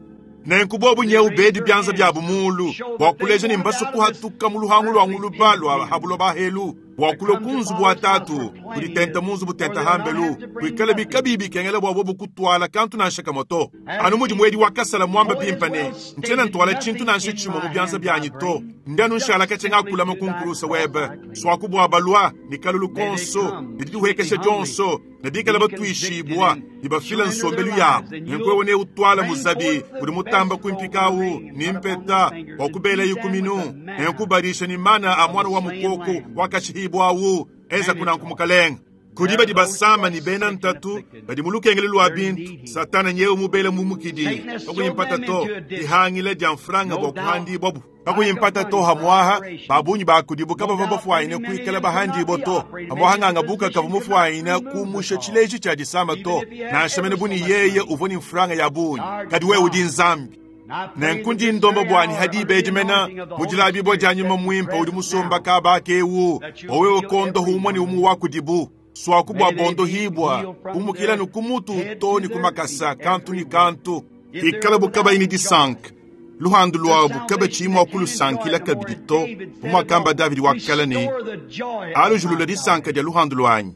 Nenku bobu nyeu bedi bianza biabu mulu bua kuleja ne mbasu kuhatuka mu luhangu lua nguluba lua habuloba helu bua kulua ku nzubu wa tatu kuditenta mu nzubu tenta hambelu kuikala bikabi bikengela bua bobu kutuala kantu nansha kamue to. Anu mudi muedi wa kasala muamba bimpa ne, ntshiena ntuala tshintu nansha tshimue mu bianza bianyi to, ndi anu nshala katshia ngakulama ku nkulusa webe, suaku bua balua ne kalulu konso ne didihuekesha dionso ne bikala batuishibua ne bafila nsombelu yabo. Nenku wewe neutwala muzabi udi mutamba kumpikawu ni mpeta wa kubela ikuminu, nenku badisha ni mana a mwana wa mukoko wakashihibwawu enza kunanku mukalenga. Kudi badi basama ni bena ntatu badi mu lukengele lua bintu, Satana nyewe mubele mu mukidi kakuyimpata to dihangila dia mfranga bua kuhandibwabu kakuyimpata to hamwaha babunyi bakudibu kabava bafuanyine kuikala bahandibwa to hamwaha nganga buka kava mufuanyine kumusha tshileji tshia disama to nansha mene buni yeye uvua ni mfranga ya bunyi, kadi wewe udi Nzambi. And I pray Nenku that ndi this ndomba very bwanyi hour, hadi under the ibedi mena anointing of the Holy mudilabibua dia Spirit nyuma that's muimpe udi present musomba now, kaba kewu that you'll owewe heal kondo humwe ni everyone. umu wakudibu swaku bua May they bondo be hibwa healed from kumukila their ni kumutu head to to ni their kumakasa feet, kantu ni everyone. kantu If ikala they're bukaba ini without disanka luhandu the lwabu kaba salvation tshimua that can enjoy kulusankila it no more. kabidi As to David said of bumwakamba old, Davidi wakala ne restore the joy of my alujulula disanka salvation. dia luhandu lwanyi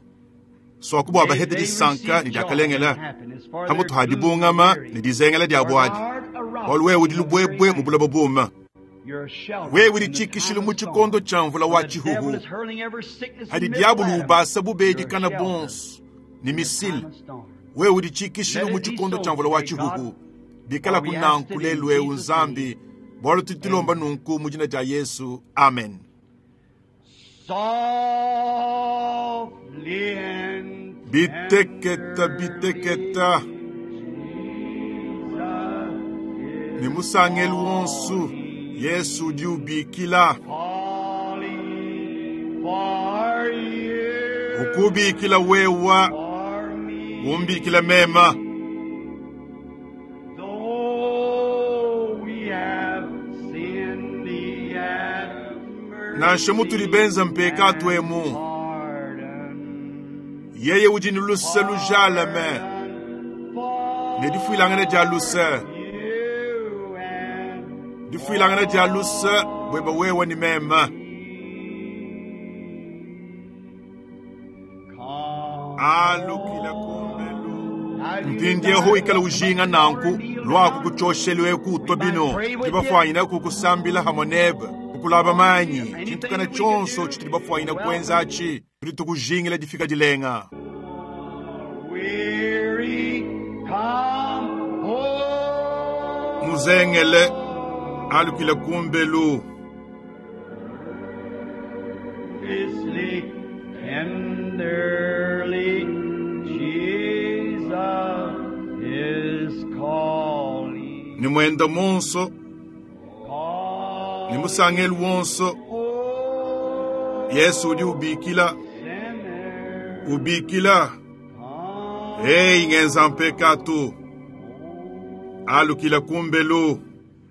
swaku bua May bahete they disanka receive ne joy and diakalengela happiness, for their hamutu ha gloom and dibungama weary. ne dizengela dia For thou buadi art a rock bualu wewe udi in the weary lubwebwe mu land. buloba buma You're a shelter wewe udi in the time tshikishilu of mu tshikondo storm. tshia mvula When wa the devil tshihuhu is hurling every sickness hadi and missile diabulu at him, ubasa bubedi you're a kana shelter bonso ni in the time misile of storm. wewe udi tshikishilu Let mu it be tshikondo so tshia mvula wa today, God, tshihuhu bikala for we ask kunanku it in lelu eu Jesus' Nzambi name. bualu tudi tulomba Amen. nunku mu dina dia Yesu, amen. Softly and Biteketa tenderly, biteketa Jesus ni is musangelu wonsu calling, Yesu udi ubikila calling for you, ukubikila wewa for me. umbikila mema. Though we have sinned, He hath Nansha mutudi mercy benza mpekatu and emu pardon. Yeye udi ne luse lujalame ne difuilangana dia luse, difuilangana dia luse buebe wewe ne meme. Alukila kumbelu. Mpindiewu ikala ujinga nanku lwaku kuchoshelu eku utwa bino tudi bafuanyina kukusambila hamwe nebe kukulaba manyi tshintu kana tshonso tshitudi bafuanyina kuenza atshi tudi tukujingila difika dilenga. Weary, come home. Muzengele alukila kumbelu. Fiercely, tenderly, Jesus is calling. Ni mwenda monso ni musangelu wonso Call, Yesu udi ubikila sinner, ubikila come. Hey ngenza mpekatu alukila kumbelu.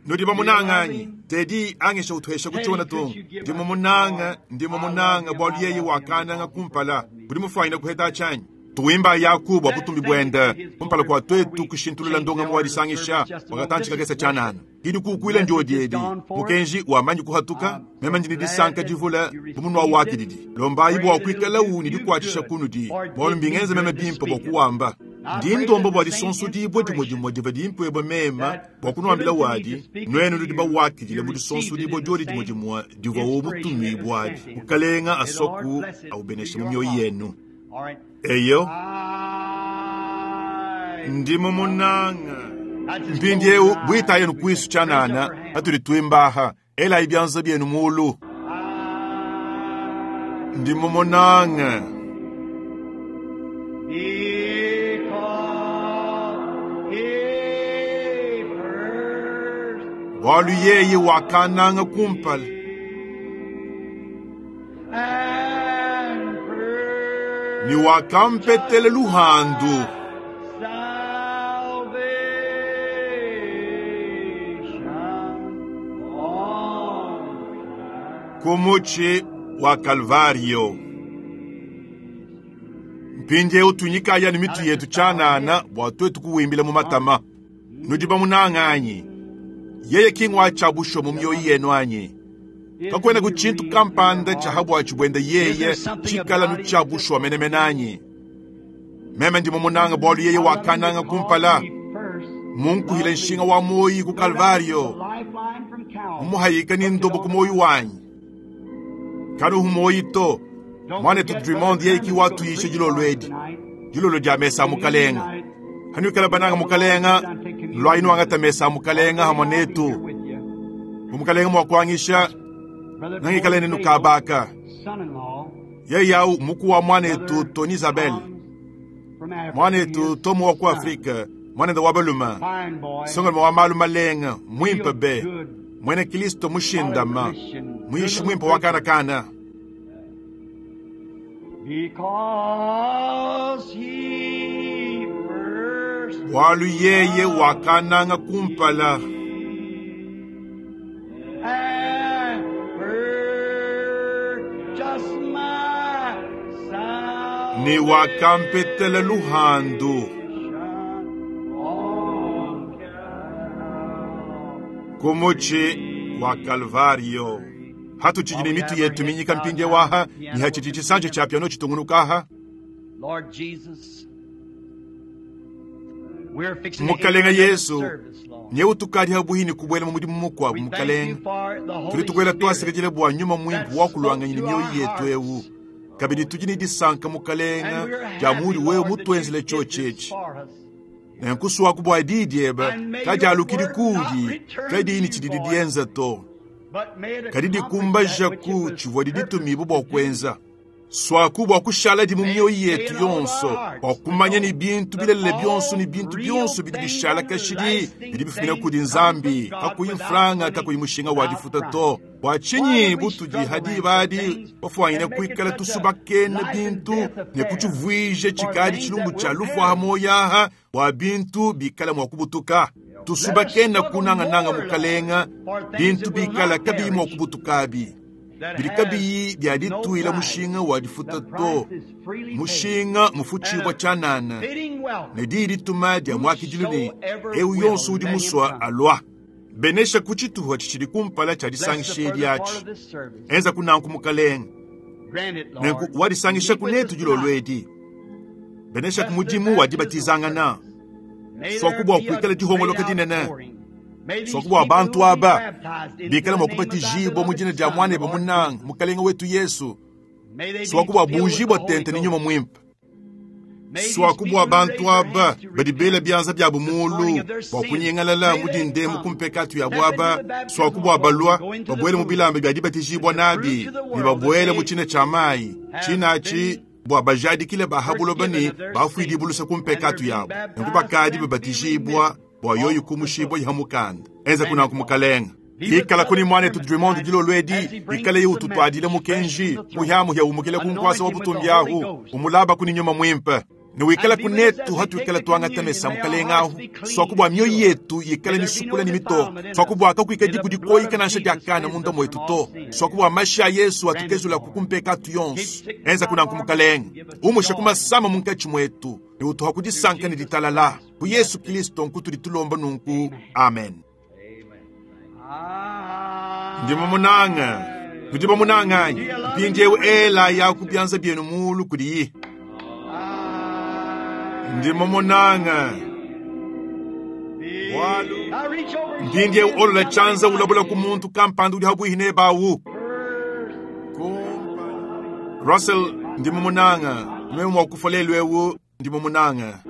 Nudi bamunanga anyi tedi angisha utuhesha kuchiona tungu ndimo munanga ndimo munanga bwalu yeye wakananga kumpala budi mufuanyina kuheta chanyi tuwimba yakubu abutumbi bwenda kumpala kwa twetu kushintulula ndonga muwadisangisha wakatanchika kesa chanana kidi kukwila njodi edi mukenji wamanyi kuhatuka mema ndini disanka divula bumunwa wakididi lombayi bwa kwikala uni dikwatisha kunudi mwalu mbingenza mema bimpa bwa kuwamba ndi ndombo bwa disonso dibwe dimwe dimwe diva dimpwebwa mema bwa kunuambila wadi nwenu ludi bawakidile mu disonso dibwe dyodi dimwe dimwe divwa wo butumi bwadi mukalenga asoku aubenesha mu myoyo yenu. All right. Eyo I ndimo munanga mpindiewu bwita yenu kwisu chanana atuli twimbaha ela ibyanza byenu mulu ndimo munanga because he first bwalu yeye wakananga kumpala and purchased ni wakampetele luhandu salvation on kumuchi wa Kalvario. Mpindiewu tunyikaya ni mitu yetu chanana bwa twetu kuwimbila mu matama nudi bamunanga anyi yeye kingwa cha busho mu myoyo yenu anyi kakwena ku tshintu kampanda cha habwachi bwenda yeye chikala nu cha busho menemene anyi meme ndimo munanga bwalu yeye wakananga kumpala munkuhila nshinga wa moyi ku Kalvario mumuhayika ni ndobo ku moyi wanyi kanu humoyi to mwanetu Drummond yeye kiwatuyishe dilolo edi dilolo dia mesa mukalenga hanuikala bananga mukalenga lwayi nuangata mesa mukalenga hamwe netu mumukalenga mwakuangisha nangikala nenu kabaka yeye yau muku wa mwanetu Tony Isabel mwanetu Tomo wa ku Afrika mwanenda wa baluma songalima wa malu malenga mwimpe be mwene Kristo mushindama mwishi mwimpe wa kanakana. Because he first Bwalu yeye wakananga kumpala and purchased my ni wakampetele luhandu salvation on Calvary. kumuchi wa Kalvario. Hatu chijini mitu yetu minyika mpinje waha ni hachichi chisanje cha piano chitungunukaha. Lord Jesus, we're fixing to Mukalenga enter the Yesu service, Lord. nye utukali habuhini kubwela mu mudimu mukwabu We thank mukalenga you for the tuli Holy tukwela Spirit twasekejele bwa nyuma mwimpu wakulwanganyini mioyo yetu ewu kabidi tujini disanka mukalenga And we're ja happy, muli wewe Lord, that you mutwenzele did this chochechi for us. nenkusuwaku bwa didi eba And may kajalukili your word not kudi return kadini to you chididi void, dienza to But may it kadi accomplish dikumbaja that which it ku was chivwa diditumibwa bwa purposed to do. kwenza swaku bwa kushala di mu May mioyo it stay yetu in all of our yonso hearts bwa to kumanya know ni bintu that bilelele byonso all ni bintu real byonso bidi things bishala and kashidi lasting bidi bifumina things kudi come nzambi from God kakuyi without mfranga money, kakuyi mushinga wa without difuta price. to bwa Why chinyi do we butudi struggle hadi then for badi things bafuanyina and make it kuikala such a tusubakene life and bintu death ne affair kuchivwije for chikadi things chilumbu that cha will lufu aha perish? moyaha bwa bintu bikala mwa kubutuka Let us tusubakene struggle kunangananga more, Lord, mukalenga for things bintu that will bikala not kabi mwa perish kubutukabi. Bidi kabiyi bia dituila mushinga wa difuta to, mushinga mufutshibua tshianana, ne diyi dituma dia muakidilu ne eu yonso udi musua alua. Benesha ku tshituha tshitshidi kumpala tshia disangisha edi atshi. Enza kunanku mukalenge. Nenku wadisangisha ku netu dilolo edi. Benesha ku mudimu wa dibatizangana. Swaku bua kuikala dihongoloka dinene. Swaku bua bantu aba bikala mua kubatijibua mu dina dia muanebe munanga mukalenge wetu Yesu. Swaku bua buujibua tente ne nyuma muimpe. Swaku bua bantu aba badi bela bianza biabu muulu bua kunyingalala mu dindemu ku mpekatu yabu aba. Swaku bua balua babuele mu bilamba bia dibatijibua nabi ne babuele mu tshina tshia mayi tshina atshi bua bajadikile ba ha buloba ne bafuidibua luse ku mpekatu yabu, nenku bakadi babatijibua bua yoyi kumushibua iha mukanda. Enza kunanku mukalenga. Ikala kuni mwanetu Drummond dilolo edi, ikale ututuadile mukenji muhyamuhya umukile ku nkwasa wa butumbi ahu umulaba kuni nyuma mwimpe. Ne wikala kunetu hatuikala tuangata mesa mukalenga ahu swaku bua mioyo yetu yikale misukula ne mitoka, swaku bua kakuika diku dikoyika nansha diakana munda mwetu to, swaku bua mashi a Yesu atukezula ku kumpekatu yonso. Enza kunanku mukalenga, umushe ku masama munkatshi mwetu ne utuha ku disanka ne ditalala ku Yesu Kristo nkutudi tulomba nunku, amen. Ndi mumunanga, nudi bamunanganyi. Mpindiewu ela ya ku bianza bienu mulu kudiyi. Ndi mumunanga. Walu. Mpindiewu olola tshianza ulabula ku muntu kampanda udi habuihi nebawu. Russell, ndi mumunanga. Meme mua kufa lelu ewu, ndi mumunanga.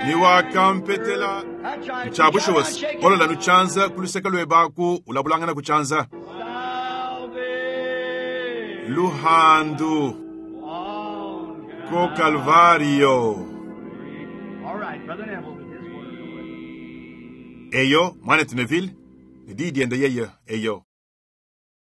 Ni wakampetela tshiabushuwasi olola nu tshianza ku luseke luebaku ulabulangana ku tshianza. Luhandu ko Calvario. Eyo mwanetu Neville, ne diyi diende yeye eyo.